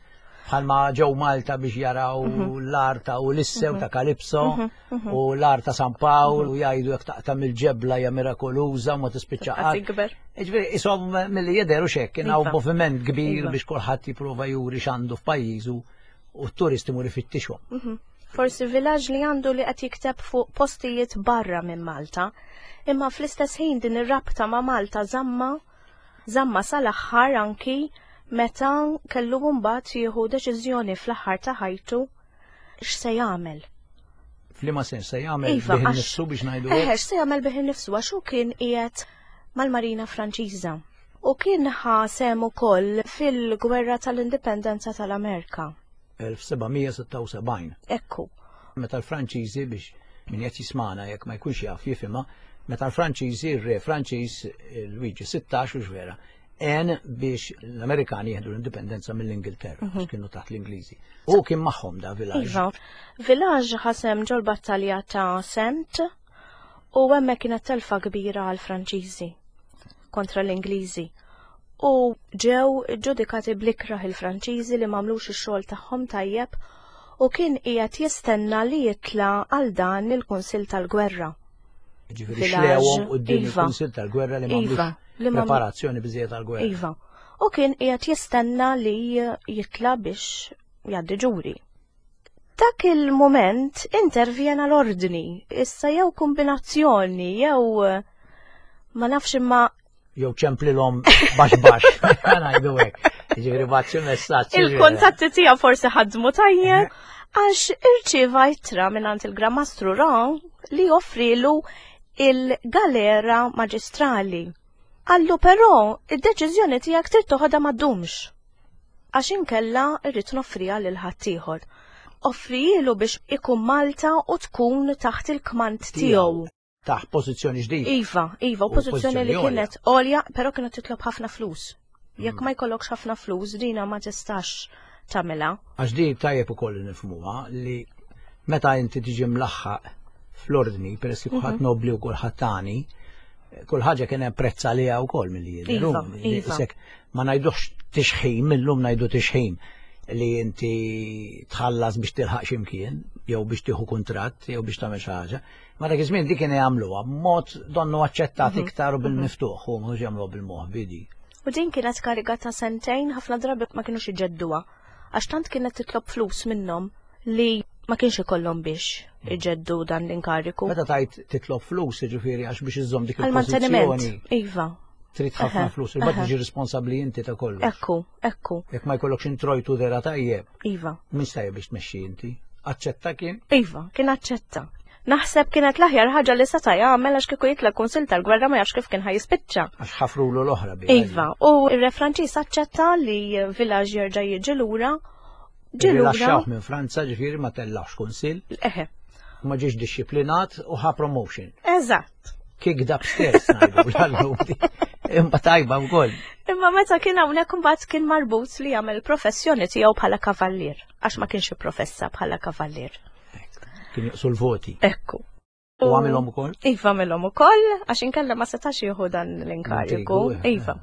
[SPEAKER 1] bħalma ġew Malta biex jaraw l-art ta' Ulisse u ta' Kalipso u l-art ta' San Pawl u jgħidu jekk taqta' mill-ġebla hija mirakoluża u ma tispiċċa qatt. Jiġifieri ishom milli jidher u x'hekk kien hawn moviment kbir biex kulħadd jipprova juri x'għandu f'pajjiżu u t-turisti imur ifittixhom.
[SPEAKER 2] Forsi Village li għandu li qed jikteb fuq postijiet barra minn Malta, imma fl-istess ħin din ir-rabta ma' Malta żamma żamma sal-aħħar anki meta kellu mbagħad jieħu deċiżjoni fl-aħħar ta' ħajtu x'se jagħmel.
[SPEAKER 1] F'liema sens se jagħmel bih innifsu biex ngħidu
[SPEAKER 2] hekk? Eħe, x'se jagħmel bih innifsu għax hu kien qiegħed mal-Marina Franċiża u kien ħa sehem ukoll fil-Gwerra tal-Indipendenza tal-Amerika.
[SPEAKER 1] elf seba' mija sitta u sebgħin.
[SPEAKER 2] Ekku.
[SPEAKER 1] Meta l-Franċiżi, biex min qed jismana jekk ma jkunx jaf jifhimha, meta l-Franċiżi, ir-re Franċiż Luigi sittax u x'vera, għen biex l-Amerikani jieħdu l-indipendenza mill-Ingilterra, għax kienu taħt l-Ingliżi. U kien magħhom da Village.
[SPEAKER 2] Iva, Village ħasem ġol battalja ta' Sent u hemmhekk kienet telfa kbira għall-Franċiżi kontra l-Ingliżi. U ġew ġudikati blikraħ il-Franċiżi li m'għamlux ix-xogħol tagħhom tajjeb u kien qiegħed jistenna li jitla' għal dan il-Kunsill tal-Gwerra.
[SPEAKER 1] Ġifieri xlewhom quddiem il-Kunsill tal-Gwerra li m'għamlux preparazzjoni biżejjed għall-gwerra.
[SPEAKER 2] Iva. U kien qiegħed jistenna li jitla' biex jgħaddi ġuri. Dak il-moment intervjena l-ordni, issa jew kombinazzjoni, jew ma nafx imma
[SPEAKER 1] jew ċemplilhom baxx baxx, ngħidu hekk. Jiġifieri bagħat xi messaġġ.
[SPEAKER 2] Il-kuntatti tiegħu forsi ħadmu tajjeb għax irċieva ittra mingħand il-Gran Mastru Ron li joffrilu il-galera maġistrali. Qallu però id-deċiżjoni tiegħek trid toħodha ma ddumx. Għax inkella rrid noffriha lil ħaddieħor. Offrijielu biex ikun Malta u tkun taħt il-kmand tiegħu.
[SPEAKER 1] Taħt pożizzjoni ġdida.
[SPEAKER 2] Iva, iva, u pożizzjoni li kienet għolja, però kienet titlob ħafna flus. Jekk ma jkollokx ħafna flus, dina ma tistax tagħmilha.
[SPEAKER 1] Għax di tajjeb ukoll nifhmuha li meta inti tiġi mlaħħaq fl-ordni, peress li kulħadd nobli u kulħadd tani, kull ħaġa kien hemm prezz għaliha wkoll milli jidher. Isek ma ngħidux tixħim, illum ngħidu tixħim li inti tħallas biex tilħaq x'imkien, jew biex tieħu kuntratt, jew biex tagħmel xi ħaġa. Ma dak iż-żmien dik kien jagħmluha b'mod donnu aċċettat iktar u bil-miftuħ, u mhux jagħmluha bil-moħbi di.
[SPEAKER 2] U din kienet kariga ta' sentejn, ħafna drabi ma kinux iġedduha, għax tant kienet titlob flus minnhom li ma kienx ikollhom biex iġeddu dan l-inkariku.
[SPEAKER 1] Meta tajt titlob flus, jiġifieri għax biex iżżomm dik il-pożizzjoni.
[SPEAKER 2] Iva.
[SPEAKER 1] Trid ħafna flus, imbagħad tiġi responsabbli inti ta' kollox.
[SPEAKER 2] Ekku, ekku.
[SPEAKER 1] Jekk ma jkollokx introjtu vera tajjeb.
[SPEAKER 2] Iva.
[SPEAKER 1] Mhux tajjeb biex tmexxi inti. Aċċetta kien?
[SPEAKER 2] Iva, kien aċċetta. Naħseb kienet l-aħjar ħaġa li seta' jagħmel għax kieku jitla' Kunsill tal-Gwerra ma jafx kif kien ħajispiċċa.
[SPEAKER 1] Għax ħafrulu l-oħra biha.
[SPEAKER 2] Iva, u r-re Franċiż aċċetta li Village jerġa' jiġi lura. Ġie lura.
[SPEAKER 1] Rilaxxawh minn Franza, ġifieri ma tellax kunsill.
[SPEAKER 2] Eħe.
[SPEAKER 1] Ma ġiex dixxiplinat u ħa promotion.
[SPEAKER 2] Eżatt.
[SPEAKER 1] Kicked upstairs ngħidu l-allum. Imma tajba wkoll.
[SPEAKER 2] Imma meta kien hawnhekk imbagħad kien marbut li jagħmel professjoni tiegħu bħala kavallier, għax ma kienx ipprofessa bħala kavallier.
[SPEAKER 1] Kien joqsu l-voti.
[SPEAKER 2] Ekku.
[SPEAKER 1] U għamilhom ukoll?
[SPEAKER 2] Iva, għamilhom ukoll, għax inkella ma setax jieħu dan l-inkariku. Iva.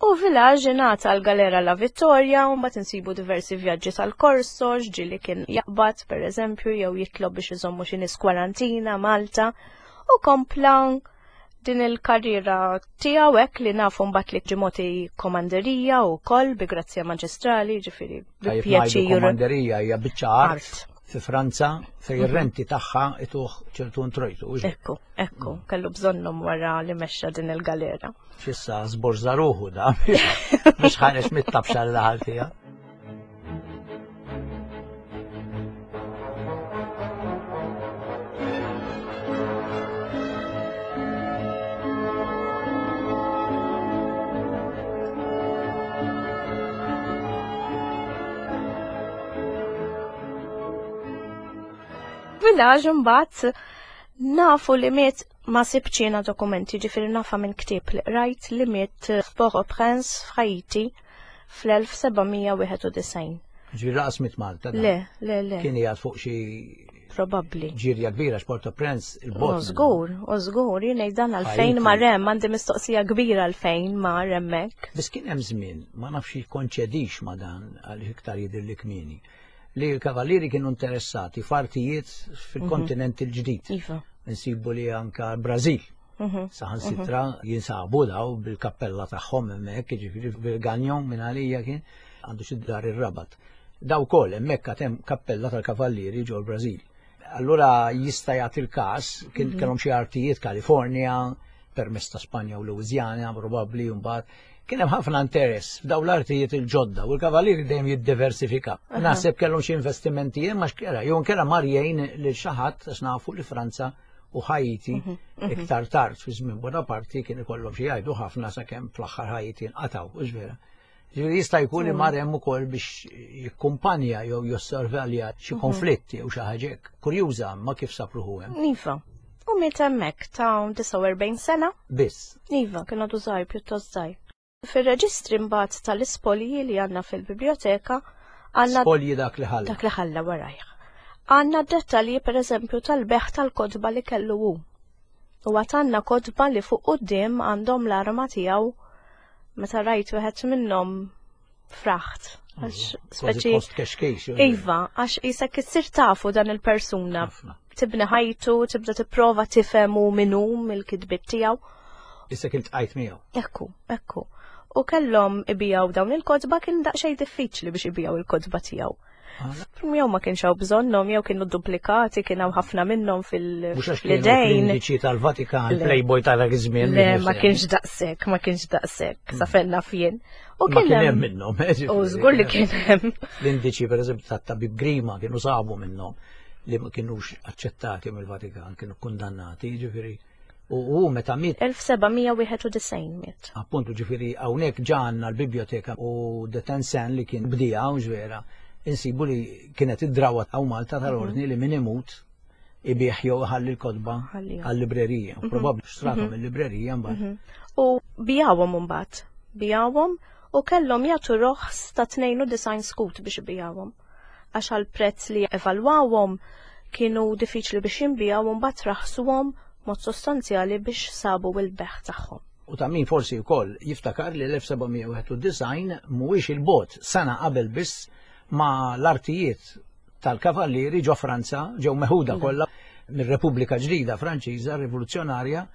[SPEAKER 2] U Village ingħata l-Galera La Vittoria, u mbagħad insibu diversi vjaġġi tal-Korso, ġieli kien jaqbad pereżempju jew jitlob biex iżommu xi nies kwarantina Malta, u kompla din il-karriera tiegħu hekk li nafu mbagħad li ġimoti komanderija wkoll bi grazzja maġistrali, ġifieri bi pjaċir.
[SPEAKER 1] Komanderija hija biċċa art fi Franza fej ir-renti tagħha ituh ċertu introjtu.
[SPEAKER 2] Ekku, ekku, kellu bżonnhom wara li mexxa din il-galera.
[SPEAKER 1] Xissa żborża ruħu da biex ħareġ mit-tabxa li daħal fiha.
[SPEAKER 2] Village imbagħad nafu li miet ma sibċina dokumenti, ġifieri nafa minn ktieb li qrajt li miet f'Port-au-Prince f'Haiti fl-elf sebgħamija wieħed u disgħin.
[SPEAKER 1] Ġifieri laqas miet Malta dan.
[SPEAKER 2] Le, le, le.
[SPEAKER 1] Kien qiegħed fuq xi
[SPEAKER 2] Probabbli.
[SPEAKER 1] ġirja kbira x'Port-au-Prince il-bot.
[SPEAKER 2] U żgur, u żgur, jien ngħid dan għalfejn
[SPEAKER 1] Haiti.
[SPEAKER 2] ma rem, għandi mistoqsija kbira għalfejn ma remmek.
[SPEAKER 1] Biss kien hemm żmien, ma nafx jikkonċedix ma dan għal iktar jidher li kmieni, li l-kavallieri kienu interessati f'artijiet fil-kontinent il-ġdid.
[SPEAKER 2] Iva.
[SPEAKER 1] Nsibu li anka l-Brażil.
[SPEAKER 2] Mhm.
[SPEAKER 1] Saħansitra jinsabu daw bil-kappella tagħhom hemmhekk, jiġifieri bil-Ganjon minn għalija kien għandu xi dar ir-Rabat. Daw ukoll hemmhekk għad hemm kappella tal-kavallieri ġol Brażil. Allura jista' jagħti l-każ kien
[SPEAKER 2] Mhm.
[SPEAKER 1] kellhom xi artijiet Kalifornja, permess ta' Spanja u Louisiana probabbli mbagħad. Kien hemm ħafna interess f'daw l-artijiet il-ġodda u l-kavallieri dejjem jiddiversifika.
[SPEAKER 2] Aha.
[SPEAKER 1] Naħseb kellhom xi investimenti hemm għax kera, jew nkera mar jgħin lil xi ħadd għax nafu li Franza u Haiti
[SPEAKER 2] Mhm, mhm.
[SPEAKER 1] iktar tard fi żmien Bonaparte kien ikollhom xi jgħidu ħafna sakemm fl-aħħar Haiti nqataw, hux vera. Ġifieri jista' jkun li mar hemm ukoll biex jikkumpanja jew jossorvelja xi
[SPEAKER 2] Mhm.
[SPEAKER 1] konflitti jew xi ħaġa hekk. Kurjuża ma kif sapruħu hemm.
[SPEAKER 2] Iva. U miet hemmhekk ta' disgħa u erbgħin sena.
[SPEAKER 1] Biss.
[SPEAKER 2] Iva, kien għadu żgħir, pjuttost żgħir. Fir-reġistri mbagħad tal-ispolji li għandna fil-biblioteka għandna
[SPEAKER 1] Spolji dak li ħalla.
[SPEAKER 2] Dak li ħalla warajh. Għandna dettalji pereżempju tal-beħ tal-kotba li kellu hu. U għad għandna kotba li fuq quddiem għandhom l-arma tiegħu meta rajt wieħed minnhom fraħt. Għax
[SPEAKER 1] Kważi
[SPEAKER 2] speċi
[SPEAKER 1] post kexkejx, jew
[SPEAKER 2] Iva, għax isek issir tafu dan il-persuna.
[SPEAKER 1] Ħafna.
[SPEAKER 2] Tibni ħajtu, tibda tipprova tifhem hu min hu mill-kitbiet tiegħu.
[SPEAKER 1] Issa kien tqajt miegħu.
[SPEAKER 2] Ekku, ekku. U kellhom ibijaw dawn il-kotba, kien daqsxejn diffiċli biex ibijaw il-kotba tiegħu.
[SPEAKER 1] Ah.
[SPEAKER 2] Jew ma kienx hawn bżonnhom, jew kienu duplikati, kien hawn ħafna minnhom fil-
[SPEAKER 1] Mhux għax kienu
[SPEAKER 2] fl-idejn.
[SPEAKER 1] l-indiċi tal-Vatikan,
[SPEAKER 2] Le.
[SPEAKER 1] Playboy tal-żmien.
[SPEAKER 2] Le, ma kienx daqshekk, ma kienx daqshekk, sa fejn naf jien. U
[SPEAKER 1] Ma
[SPEAKER 2] kien
[SPEAKER 1] kien hemm
[SPEAKER 2] hemm
[SPEAKER 1] minnhom, eh, ġifieri.
[SPEAKER 2] U żgur li kien hemm.
[SPEAKER 1] L-indiċi pereżempju tat-tabib Grima kienu sabu minnhom li ma kienux aċċettati mill-Vatikan, kienu kundannati, ġifieri. U hu meta miet
[SPEAKER 2] Elf sebgħamija wieħed u disgħin miet.
[SPEAKER 1] Appuntu, ġifieri hawnhekk ġa għandna l-biblioteka u de Tencin li kien bdija, u ġvera, insibu li kienet id-drawa hawn Malta tal-ordni li min imut ibih jew ħalli l-kotba
[SPEAKER 2] Ħallihom.
[SPEAKER 1] għal-librerija.
[SPEAKER 2] Mhm.
[SPEAKER 1] Probabbli xtrathom
[SPEAKER 2] Mhm.
[SPEAKER 1] il-librerija mbagħad.
[SPEAKER 2] Mhm. U bijawhom imbagħad, bijawhom u kellhom jagħtu roħs ta' tnejn u disgħin skut biex ibijawhom. Għax għall-prezz li evalwawhom kienu diffiċli biex jinbijaw u mbagħad raħsuhom mod sostanzjali biex sabu l-beħ tagħhom.
[SPEAKER 1] U ta' min forsi wkoll jiftakar li l-elf sebgħamija wieħed u disgħin mhuwiex il-bot sena qabel biss ma l-artijiet tal-kavallieri ġo Franza ġew meħuda
[SPEAKER 2] Mm.
[SPEAKER 1] kollha mir-Repubblika Ġdida Franċiża Rivoluzzjonarja,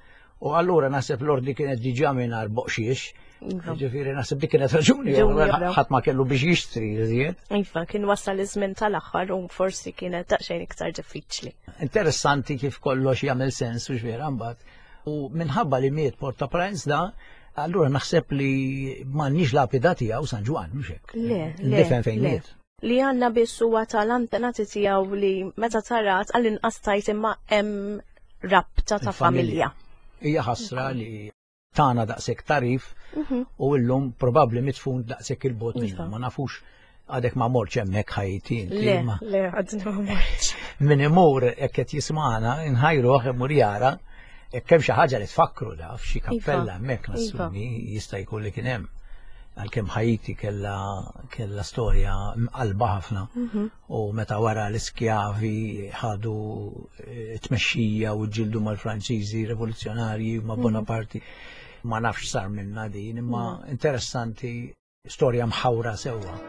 [SPEAKER 1] u allura naħseb l-ordni kienet diġà mingħajr boqxiex.
[SPEAKER 2] Iva.
[SPEAKER 1] Ġifieri naħseb dik kienet raġuni,
[SPEAKER 2] Raġuni oħra.
[SPEAKER 1] ħadd ma kellu biex jixtri iżjed.
[SPEAKER 2] Iva, kien wasal iż-żmien tal-aħħar u forsi kienet daqsxejn iktar diffiċli.
[SPEAKER 1] Interessanti kif kollox jagħmel sens u x'vera mbagħad. U minħabba li miet Port-au-Prince da, allura naħseb li m'għandniex lapida tiegħu San Ġwann, mhux hekk.
[SPEAKER 2] Le, le,
[SPEAKER 1] Ndifen fejn
[SPEAKER 2] le.
[SPEAKER 1] miet.
[SPEAKER 2] Li għandna biss huwa tal-antenati tiegħu li meta tarat għall-inqas tajt imma hemm rabta ta'
[SPEAKER 1] Il-familja.
[SPEAKER 2] familja.
[SPEAKER 1] Hija ħasra li tana daqshekk tarif
[SPEAKER 2] Mhm.
[SPEAKER 1] u llum probabbli mitfun daqshekk il-bot minnu.
[SPEAKER 2] Iva.
[SPEAKER 1] Ma nafux għadek ma morċ hemmhekk Ħajti inti,
[SPEAKER 2] Le,
[SPEAKER 1] ma
[SPEAKER 2] le, għadni ma morċ.
[SPEAKER 1] Min imur hekk qed jismana nħajruh imur jara jekk hemm xi ħaġa li tfakru da f'xi kappella
[SPEAKER 2] Iva.
[SPEAKER 1] hemmhekk
[SPEAKER 2] Iva.
[SPEAKER 1] nassumi jista' jkun li kien hemm. Għalkemm Ħajti kella, kella storja mqalba ħafna.
[SPEAKER 2] Mhm.
[SPEAKER 1] U meta wara l-iskjavi ħadu, eh, tmexxija u ġildu mal-Franċiżi rivoluzzjonarji ma'
[SPEAKER 2] Mhm.
[SPEAKER 1] Bonaparte. Ma nafx sar minna din, imma interessanti storja mħawra sewwa.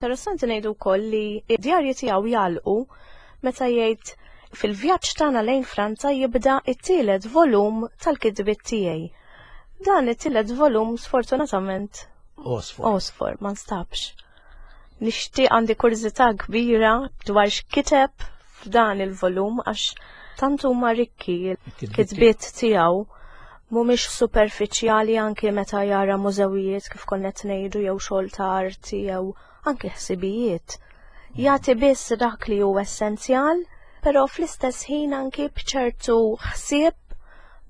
[SPEAKER 2] Interessanti ngħidu wkoll li d-djarji tiegħu jagħlqu meta jgħid fil-vjaġġ tagħna lejn Franza jibda t-tielet volum tal-kitbiet tiegħi. Dan it-tielet volum sfortunatament
[SPEAKER 1] Għosfor.
[SPEAKER 2] Għosfor, ma nstabx. Nixtieq, għandi kurżità kbira dwar x'kiteb f'dan il-volum għax tant huma rikki il-kitbiet tiegħu, mhumiex superfiċjali, anke meta jara mużewijiet kif konna qed ngħidu jew xogħol ta' arti jew anke ħsibijiet. Jagħti biss dak li hu essenzjal, però fl-istess ħin anke b'ċertu ħsieb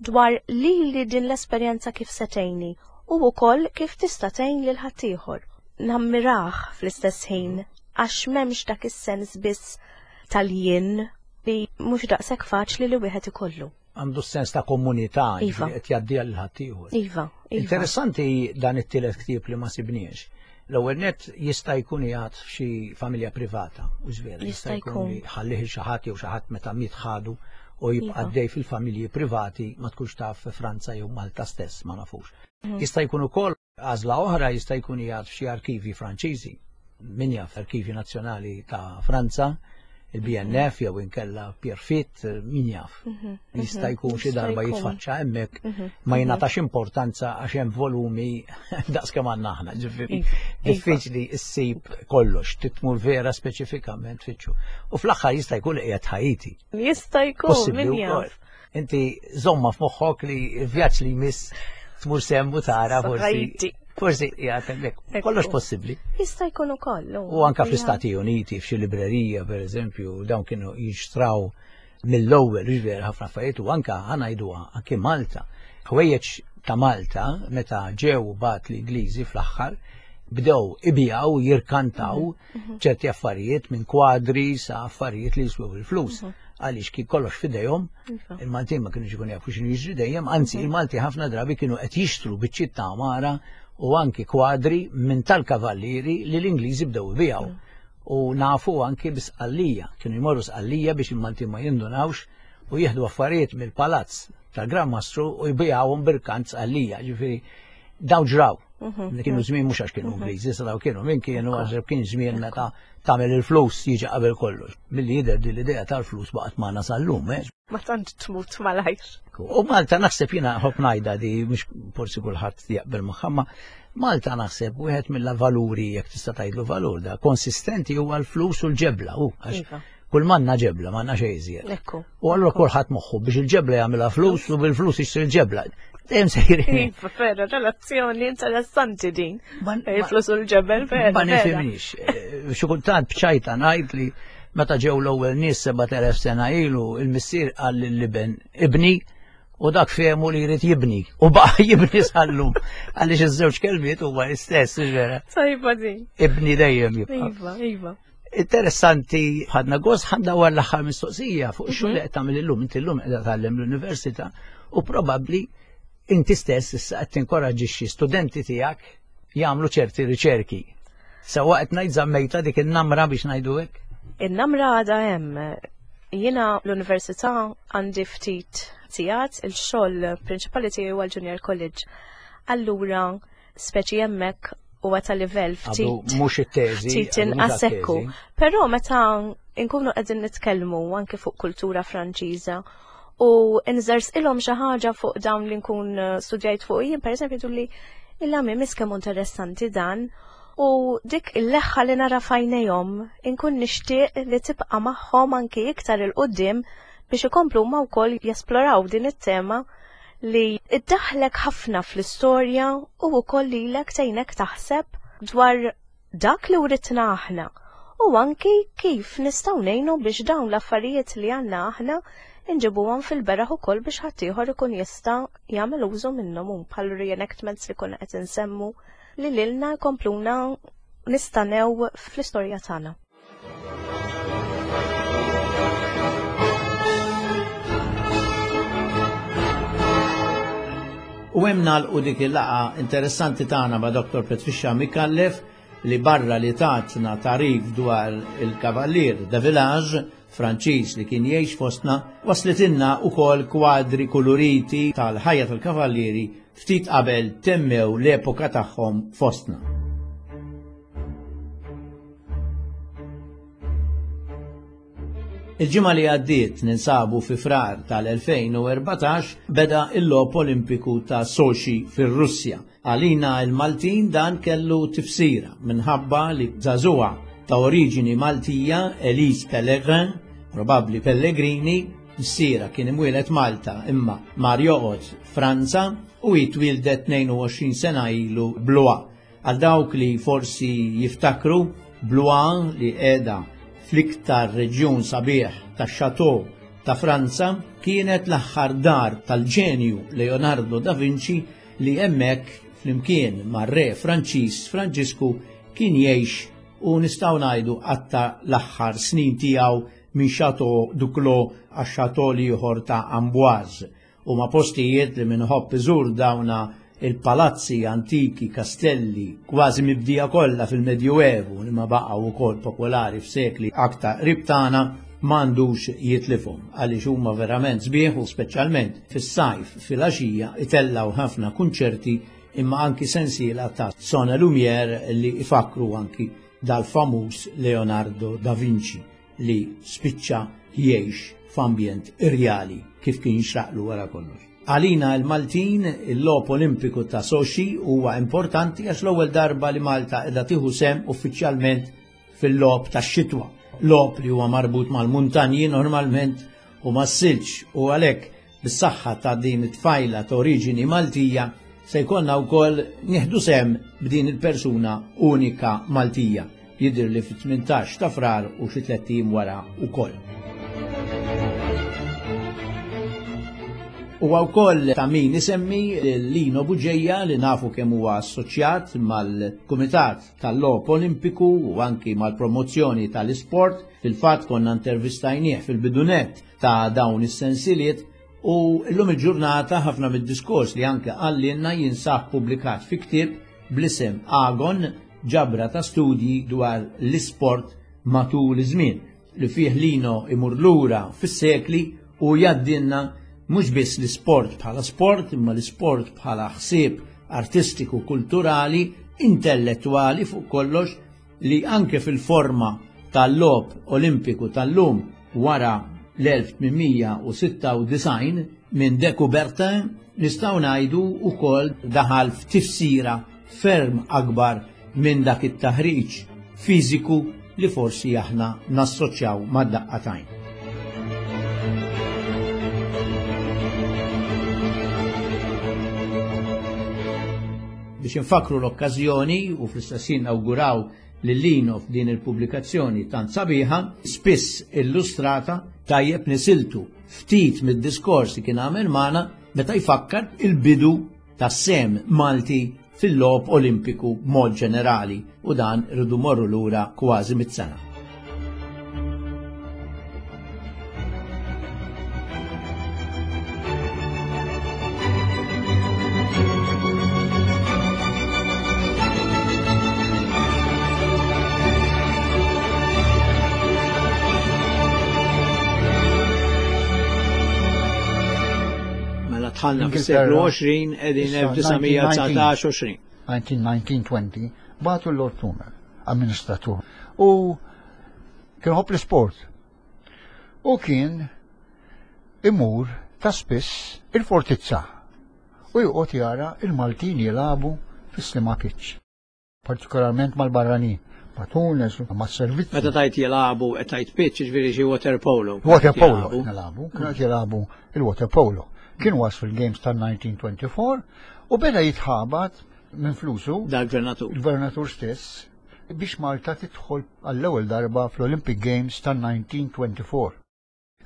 [SPEAKER 2] dwar li li din l-esperjenza kif se tgħinni u wkoll kif tista' tgħin lil ħaddieħor. Nammirah fl-istess ħin għax m'hemmx dak is-sens biss tal-jien li mhux daqshekk faċli li wieħed ikollu.
[SPEAKER 1] Għandu sens ta' komunità,
[SPEAKER 2] Iva.
[SPEAKER 1] ġifieri qed jgħaddiha lil ħaddieħor.
[SPEAKER 2] Iva, iva.
[SPEAKER 1] Interessanti dan it-tielet ktieb li ma sibniex. L-ewwel net jista' jkun jgħad f'xi familja privata, u żvera,
[SPEAKER 2] Jista'
[SPEAKER 1] jista' jkun
[SPEAKER 2] jkun.
[SPEAKER 1] li ħallih xi ħadd jew xi ħadd meta miet ħadu u jibqa'
[SPEAKER 2] Iva.
[SPEAKER 1] dej fil-familji privati, ma tkunx taf fi Franza jew Malta stess, ma nafux.
[SPEAKER 2] Mhm.
[SPEAKER 1] Jista' jkun ukoll għażla oħra, jista' jkun jgħad f'xi arkivi Franċiżi. Min jaf, arkivi nazzjonali ta' Franza, il-B N F jew inkella Pierrefitte, min jaf. Jista' jkun xi
[SPEAKER 2] Jista'
[SPEAKER 1] darba
[SPEAKER 2] jkun.
[SPEAKER 1] jitfaċċa hemmhekk,
[SPEAKER 2] Mhm.
[SPEAKER 1] ma jingħatax importanza għax hemm volumi daqs kemm għandna aħna, ġifieri
[SPEAKER 2] Iva,
[SPEAKER 1] diffiċli ssib kollox, titmur vera speċifikament fitxu. U fl-aħħar jista' jkun qiegħed Ħajti.
[SPEAKER 2] Jista' jkun,
[SPEAKER 1] Possibbli
[SPEAKER 2] min
[SPEAKER 1] wkoll.
[SPEAKER 2] jaf.
[SPEAKER 1] Inti żomma f'moħħok li l-vjaġġ li jmiss tmur semmu tara forsi.
[SPEAKER 2] Ħajti.
[SPEAKER 1] Forsi qiegħed hemmhekk.
[SPEAKER 2] Ekku.
[SPEAKER 1] Kollox possibbli.
[SPEAKER 2] Jista' jkun ukoll.
[SPEAKER 1] U anka fl-Istati Uniti, f'xi librerija, per eżempju, dawn kienu jixtraw mill-ewwel, ġifieri ħafna affarijiet, u anka ħa ngħiduha anke Malta. Ħwejjeġ ta' Malta meta ġew bat l-Ingliżi fl-aħħar bdew ibijaw, jirkantaw ċerti affarijiet, minn kwadri sa affarijiet li jiswew il-flus. Għaliex kien kollox fidejhom,
[SPEAKER 2] Iva.
[SPEAKER 1] il-Maltin ma kienux ikun jafu x'inhu jiġri dejjem, anzi il-Malti ħafna drabi kienu qed jixtru biċċiet ta' għamara u anki kwadri minn tal-kavallieri li l-Ingliżi bdew ibijaw. U nafu anki bi Sqallija, kienu jmorru Sqallija biex il-Maltin ma jindunawx u jieħdu affarijiet mill-palazz tal-Gran Mastru u jbijawhom b'irkant Sqallija, ġifieri daw ġraw. Li kienu żmien mhux għax kienu Ingliżi, sa daw kienu min kienu, għax kien żmien meta tagħmel il-flus jiġi qabel kollox. Milli jidher din l-idea tal-flus baqgħet magħna sal-lum, eh?
[SPEAKER 2] Ma tantx tmut malajr.
[SPEAKER 1] U Malta naħseb, jiena ħobb ngħidha di, mhux forsi kulħadd jaqbel magħha, ma Malta naħseb wieħed mill-valuri, jekk tista' tgħidlu valur da, konsistenti huwa l-flus u l-ġebla, u għax
[SPEAKER 2] Iva.
[SPEAKER 1] kull manna ġebla, manna xejn iżjed.
[SPEAKER 2] Ekku.
[SPEAKER 1] U allura kulħadd moħħu biex il-ġebla jagħmilha flus u bil-flus jixtri l-ġebla. Dejjem sejrin.
[SPEAKER 2] Iva, vera, relazzjoni interessanti din.
[SPEAKER 1] Ma-
[SPEAKER 2] Il-flus u l-ġebel, vera.
[SPEAKER 1] Ma
[SPEAKER 2] vera.
[SPEAKER 1] nifhimniex. Eh, Xi kultant bċajta ngħid li meta ġew l-ewwel nies sebat elef sena ilu, il-missier qal lill-iben "ibni" u dak fehmu li jrid jibni u baqa' jibni sal-lum. Għaliex iż-żewġ kelmiet huma l-istess, vera.
[SPEAKER 2] Tajba din.
[SPEAKER 1] Ibni dejjem jibqa'.
[SPEAKER 2] Iva, iva.
[SPEAKER 1] Interessanti, ħadna gost, ħadna war l-aħħar mistoqsija fuq xogħol li qed tagħmel illum. Inti llum qiegħda tgħallem l-università u probabbli inti stess issa qed tinkoraġġixxi studenti tiegħek jagħmlu ċerti riċerki. Sewwa qed ngħid, żammejta dik in-namra biex ngħidu hekk?
[SPEAKER 2] In-namra għada hemm. Jiena l-università għandi ftit sigħat, il-xogħol prinċipali tiegħi huwa l-Junior College. Allura, speċi hemmhekk huwa ta' livell
[SPEAKER 1] Għadu
[SPEAKER 2] ftit
[SPEAKER 1] mhux it-teżi.
[SPEAKER 2] ftit
[SPEAKER 1] għadu mhux
[SPEAKER 2] inqas ekku.
[SPEAKER 1] għat-teżi.
[SPEAKER 2] Però meta nkunu qegħdin nitkellmu anke fuq kultura Franċiża u nżerżqilhom xi ħaġa fuq dawn li nkun eh, studjajt fuq jien, pereżempju, jgħidu li illa mi mis kemm interessanti dan, u dik il-leħħa li nara f'għajnejhom inkun nixtieq li tibqa' magħhom anke iktar 'il quddiem biex ikomplu huma wkoll jesploraw din it-tema li iddaħlek ħafna fl-istorja u wkoll lilek tgħinek taħseb dwar dak li writna aħna u anki kif nistgħu ngħinu biex dawn l-affarijiet li għandna aħna inġibuhom fil-beraħ ukoll biex ħaddieħor ikun jista' jagħmel użu minnhom, hu bħal reenactments li konna qed insemmu li lilna jkompluna nistanew fl-istorja tagħna.
[SPEAKER 1] U hemm nagħlqu dik il-laqgħa interessanti tagħna ma' Doktor Patricia Micallef li barra li tatna tagħrif dwar il-Kavallier de Village Franċiż li kien jgħix fostna, waslitilna ukoll kwadri kuluriti tal-ħajja tal-kavallieri ftit qabel temmew l-epoka tagħhom fostna. Il-ġimgħa li għaddiet, ninsabu fi Frar tal-elfejn u erbatax, beda il-logħob Olimpiku ta' Sochi fir-Russja. Għalina il-Maltin dan kellu tifsira minħabba li żagħżugħa ta' oriġini Maltija, Elise Pellegrin, probabbli Pellegrini, missiera kien imwieled Malta imma mar joqgħod Franza u hi twieldet tnejn u għoxrin sena ilu Blois. Għal dawk li forsi jiftakru, Blois li qiegħda fl-iktar reġjun sabiħ tax-Chateau ta' Franza kienet l-aħħar dar tal-ġenju Leonardo da Vinci li hemmhekk flimkien mar-re Franċiż Franġisku kien jgħix u nistgħu ngħidu qatta l-aħħar snin tiegħu minn Chateau du Clos għax Chateau l-ieħor ta' Amboise. Huma postijiet li minħobb iżur dawna il-palazzi antiki, kastelli, kważi mibdija kollha fil-Medjuevu li ma baqgħu wkoll popolari f'sekli aktar qrib tagħna, m'għandux jitlifhom għaliex huma verament sbieħ u speċjalment fis-sajf fil-għaxija itellgħu ħafna kunċerti imma anki sensiela ta' Son et Lumière li ifakru anki dal-famuż Leonardo da Vinci li spiċċa jgħix f'ambjent irjali kif kien jixraqlu wara kollox. Għalina il-Maltin, il-logħob Olimpiku ta' Sochi huwa importanti għax l-ewwel darba li Malta qiegħda tieħu sehem uffiċjalment fil-logħob tax-xitwa. Logħob li huwa marbut mal-muntanji normalment u mas-silġ u għalhekk bis-saħħa ta' din it-tfajla ta' oriġini Maltija se jkollna wkoll nieħdu sehem b'din il-persuna unika Maltija. Jidher li fit-tmintax ta' Frar u xi tlett ijiem wara wkoll. Huwa wkoll ta' min isemmi Lino Bugeja li nafu kemm huwa assoċjat mal-Kumitat tal-Logħob Olimpiku u anki mal-promozzjoni tal-isport. Fil-fatt konna intervistajnieh fil-bidunet ta' dawn is-sensiliet u llum il-ġurnata ħafna mid-diskors li anke qalilna jinsab pubblikat fi ktieb bl-isem Agon, ġabra ta' studji dwar l-isport matul iż-żmien li fih Lino imur lura fis-sekli u jgħaddilna mhux biss l-isport bħala sport, imma l-isport bħala ħsieb artistiku, kulturali, intellettwali fuq kollox, li anke fil-forma tal-logħob Olimpiku tal-lum wara l-elf tmien u sitta u disgħin minn De Coubertin nistgħu ngħidu wkoll daħal f'tifsira ferm akbar minn dak it-taħriġ fiżiku li forsi aħna nassoċjaw mad-daqqatajn. Biex infakru l-okkażjoni u fl-istess ħin nawguraw lil Lino f'din il-pubblikazzjoni tant sabiħa, spiss illustrata, tajjeb nisiltu ftit mid-diskors li kien għamel magħna meta jfakkar il-bidu tas-sem Malti fil-logħob Olimpiku b'mod ġenerali, u dan irridu morru lura kważi mit-sena. Dħalna fis-seklu għoxrin, qegħdin
[SPEAKER 3] Issa,
[SPEAKER 1] elf disa' mija dsatax għoxrin.
[SPEAKER 3] nineteen nineteen twenty, bagħtu l-Lord Plumer, amministratur, u kien ħobb l-isport. U kien imur ta' spiss il-fortizza u joqgħod jara il-Maltin jilagħbu fis-Sliema Pitch, partikolarment mal-barranin, ma' Tunis, ma' servizzi.
[SPEAKER 1] Meta tajt jilagħbu qed tajt pitch, jiġifieri xi water polo.
[SPEAKER 3] Water polo
[SPEAKER 1] Jilagħbu.
[SPEAKER 3] nilagħbu, kienu qed jilagħbu il-water polo. Kien was fil-Games tal nineteen twenty-four u beda jitħabat minn flusu
[SPEAKER 1] Dal-gvernatur.
[SPEAKER 3] Il-gvernatur stess biex Malta tidħol għall-ewwel darba fl-Olympic Games tal nineteen twenty-four.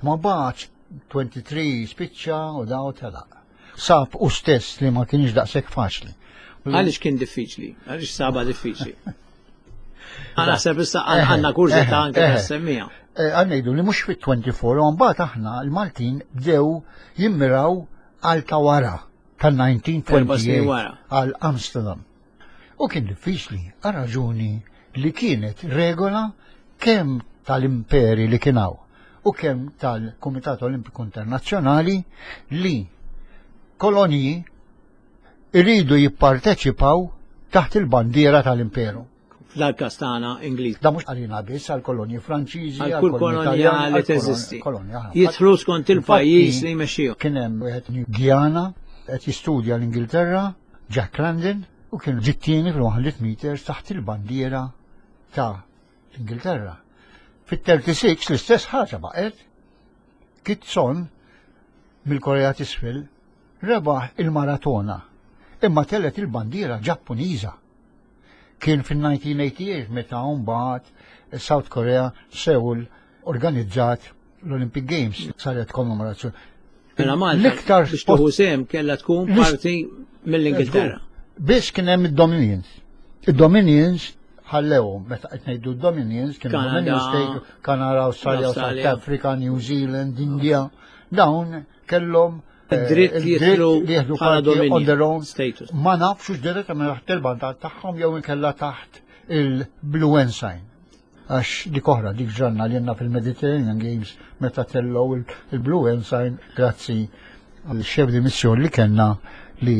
[SPEAKER 3] Ma bagħatx twenty-three spiċċa u daw telaq. Sab u stess li ma kienx daqshekk faċli.
[SPEAKER 1] Għaliex kien diffiċli? Għaliex saba diffiċli? Għana naħseb issa għandna kurżità anke tas-semmija.
[SPEAKER 3] Eh, għan ngħidu li mhux fit-twenty-four, u mbagħad aħna l-Maltin bdew jimmiraw għal ta' wara tal-nineteen
[SPEAKER 1] Erba' snin
[SPEAKER 3] twenty-eight
[SPEAKER 1] wara.
[SPEAKER 3] għal Amsterdam. U kien diffiċli għal raġuni li kienet regola kemm tal-imperi li kien hawn u kemm tal-Kumitat Olimpiku Internazzjonali li koloniji iridu jipparteċipaw taħt il-bandiera tal-imperu.
[SPEAKER 1] F'dal-każ tagħna Ingliż.
[SPEAKER 3] Da mhux għalina biss, għal kolonji Franċiżi,
[SPEAKER 1] għal kull kolonja li teżisti. Jidħlu skont il-pajjiż li jmexxihom.
[SPEAKER 3] Kien hemm wieħed Guyana qed jistudja l-Ingilterra, Jack London, u kien ġittieni fil-one hundred meters taħt il-bandiera ta' l-Ingilterra. Fit-thirty-six l-istess ħaġa baqgħet. Kitson mill-Korea t'Isfel rebaħ il-maratona imma telgħet il-bandiera Ġappuniża. Kien fil-nineteen eighty-eight meta mbagħad South Korea, Seoul, organizzat l-Olympic Games, saret kommemorazzjoni.
[SPEAKER 1] Mela Malta l-iktar biex tieħu sehem kellha tkun parti mill-Ingilterra.
[SPEAKER 3] Biss kien hemm id-Dominions. Id-Dominions ħallewhom, meta qed ngħidu Dominions kienu Dominion State, Kanada, Australia, South Africa, New Zealand, India. Dawn kellhom
[SPEAKER 1] id-dritt li jieħdu parti
[SPEAKER 3] on their own status. Ma nafx direttament taħt il-bandiera tagħhom jew inkella taħt il-Blue Ensign. Għax dik oħra, dik ġranna li jenna fil-Mediterranean Games meta tellgħu il-Blue Ensign, grazzi għal-chef de mission li kellna li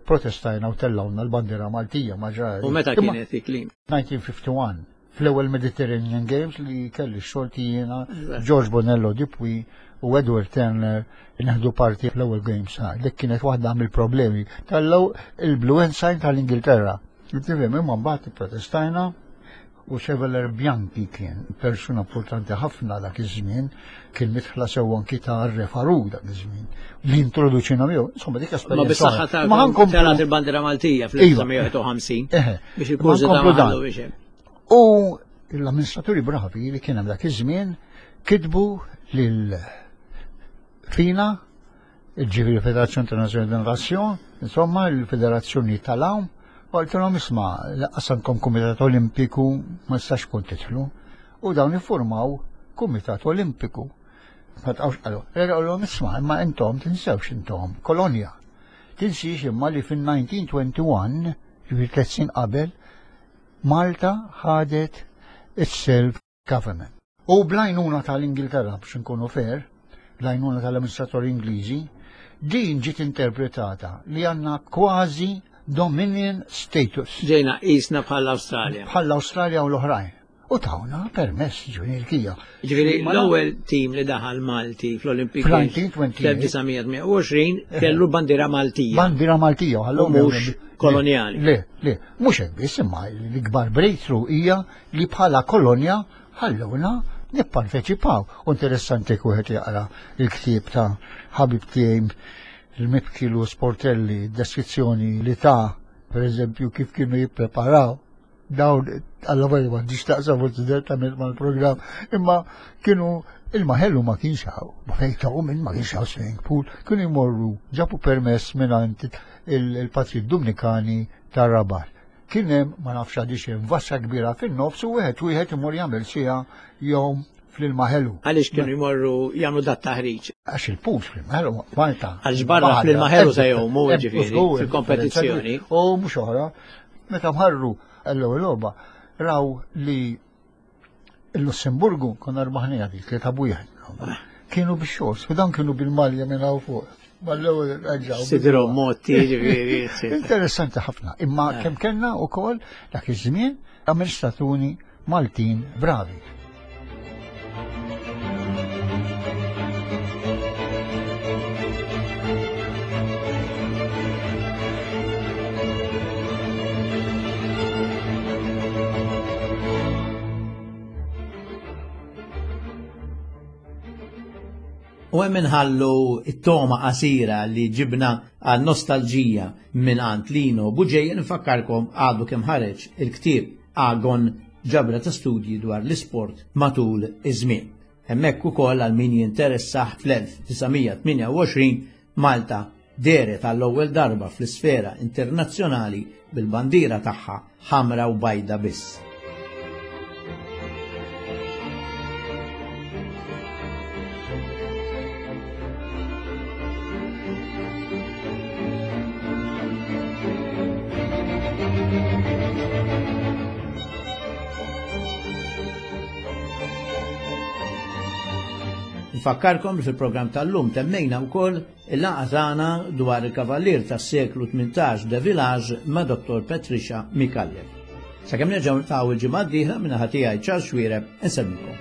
[SPEAKER 3] protestajna u tellgħulna l-bandiera Maltija ma ġara.
[SPEAKER 1] U meta kienet dik li?
[SPEAKER 3] nineteen fifty-one, fl-ewwel Mediterranean Games li kelli xorti jiena, George Bonello Dupuy u Edward Turner neħdu parti fl-ewwel Games. Dik kienet waħda mill-problemi. Tellgħu il-Blue Ensign tal-Ingilterra. Tifhem, imma mbagħad protestajna u Chevalier Bianchi kien persuna importanti ħafna dak iż-żmien, kien midħla sew anki ta' Re Farouk dak iż-żmien. Li introduċina miegħu, insomma, dik
[SPEAKER 1] esperjenza. Ma bis-saħħa ta' ma telgħet il-bandiera Maltija fl-elf disa' mija u wieħed u ħamsin biex il-kurżità biex.
[SPEAKER 3] U l-amministraturi bravi li kien hemm dak iż-żmien kitbu lil FINA, ġifieri Federazzjoni Internazzjonali de Natation, insomma, il-Federazzjoni tal-Għawm, u għaltilhom, "Isma', lanqas għandkom Kumitat Olimpiku, ma nistax kun tidħlu." U dawn iffurmaw Kumitat Olimpiku. Ma tqawx qalu, għalhom, "Isma', imma intom tinsewx intom kolonja. Tinsiex imma li fin-nineteen twenty-one, ġifieri tliet snin qabel, Malta ħadet is-self government." U bl-għajnuna tal-Ingilterra, biex nkunu fair, bl-għajnuna tal-amministratori Ingliżi, din ġiet interpretata li għandna kważi dominion status.
[SPEAKER 1] Ġejna qisna bħall-Awstralja.
[SPEAKER 3] Bħall-Awstralja u l-oħrajn. U tawna permess ġuni l-kija.
[SPEAKER 1] Ġifieri l-ewwel tim li daħal Malti fl-Olympic fl-elf disa' mija u tmienja u għoxrin kellu bandiera Maltija.
[SPEAKER 3] Bandiera Maltija.
[SPEAKER 1] U mhux kolonjali.
[SPEAKER 3] Le, le, mhux hekk biss, imma l-ikbar breakthrough hija li bħala kolonja ħallewna nipparteċipaw. U interessanti wieħed jaqra il-ktieb ta' ħabib tiegħi il-Mibkilu Sportelli, deskrizzjoni li ta' per eżempju, kif kienu jippreparaw dawn, għalla vajja ma taqsam forsi direttament mal-programm, imma kienu ilma ħelu ma kienx hawn, ma fejn minn ma kienx hawn swimming pool, kienu jmorru ġabu permess minn il-patri Dominikani tar-Rabat. Kien hemm, ma nafx għadix hemm, vassa kbira fin-nofs u wieħed wieħed imur jagħmel siegħa jom fl-ilma ħelu.
[SPEAKER 1] Għaliex kienu jmorru jagħmlu dat taħriġ?
[SPEAKER 3] Għax il-pools fl-ilma ħelu Malta.
[SPEAKER 1] Għaliex barra fl-ilma ħelu se jgħumu, ġifieri, fil-kompetizzjoni.
[SPEAKER 3] U mhux oħra, meta mħarru l-ewwel logħba raw li l-Lussemburgu konna rbaħnija dik li tabu wieħed. Kienu bix-shorts, u dan kienu bil-malja minn hawn fuq. Mal-ewwel reġgħu.
[SPEAKER 1] Sidru motti, ġifieri.
[SPEAKER 3] Interessanti ħafna. Imma kemm kellna wkoll dak iż-żmien amministraturi Maltin bravi.
[SPEAKER 1] U hemm inħallu it-toma qasira li ġibna għal nostalġija minn għand Lino Buġeja. Nfakkarkom, għadu kemm ħareġ il-ktieb Agon, ġabra ta' studji dwar l-isport matul iż-żmien. Hemmhekk ukoll għal min jinteressah, fl-elf disa' mija u tmienja u għoxrin Malta dehret għall-ewwel darba fl-isfera internazzjonali bil-bandiera tagħha ħamra u bajda biss. Nfakkarkom li fil-programm tal-lum temmejna wkoll il-laqgħa tagħna dwar il-kavallier tas-seklu tmintax de Village ma' Dottor Patricia Micallef. Sakemm nerġgħu niltaqgħu il-ġimgħa d-dieħla minn naħa tiegħi Charles Xuereb, insellmilkom.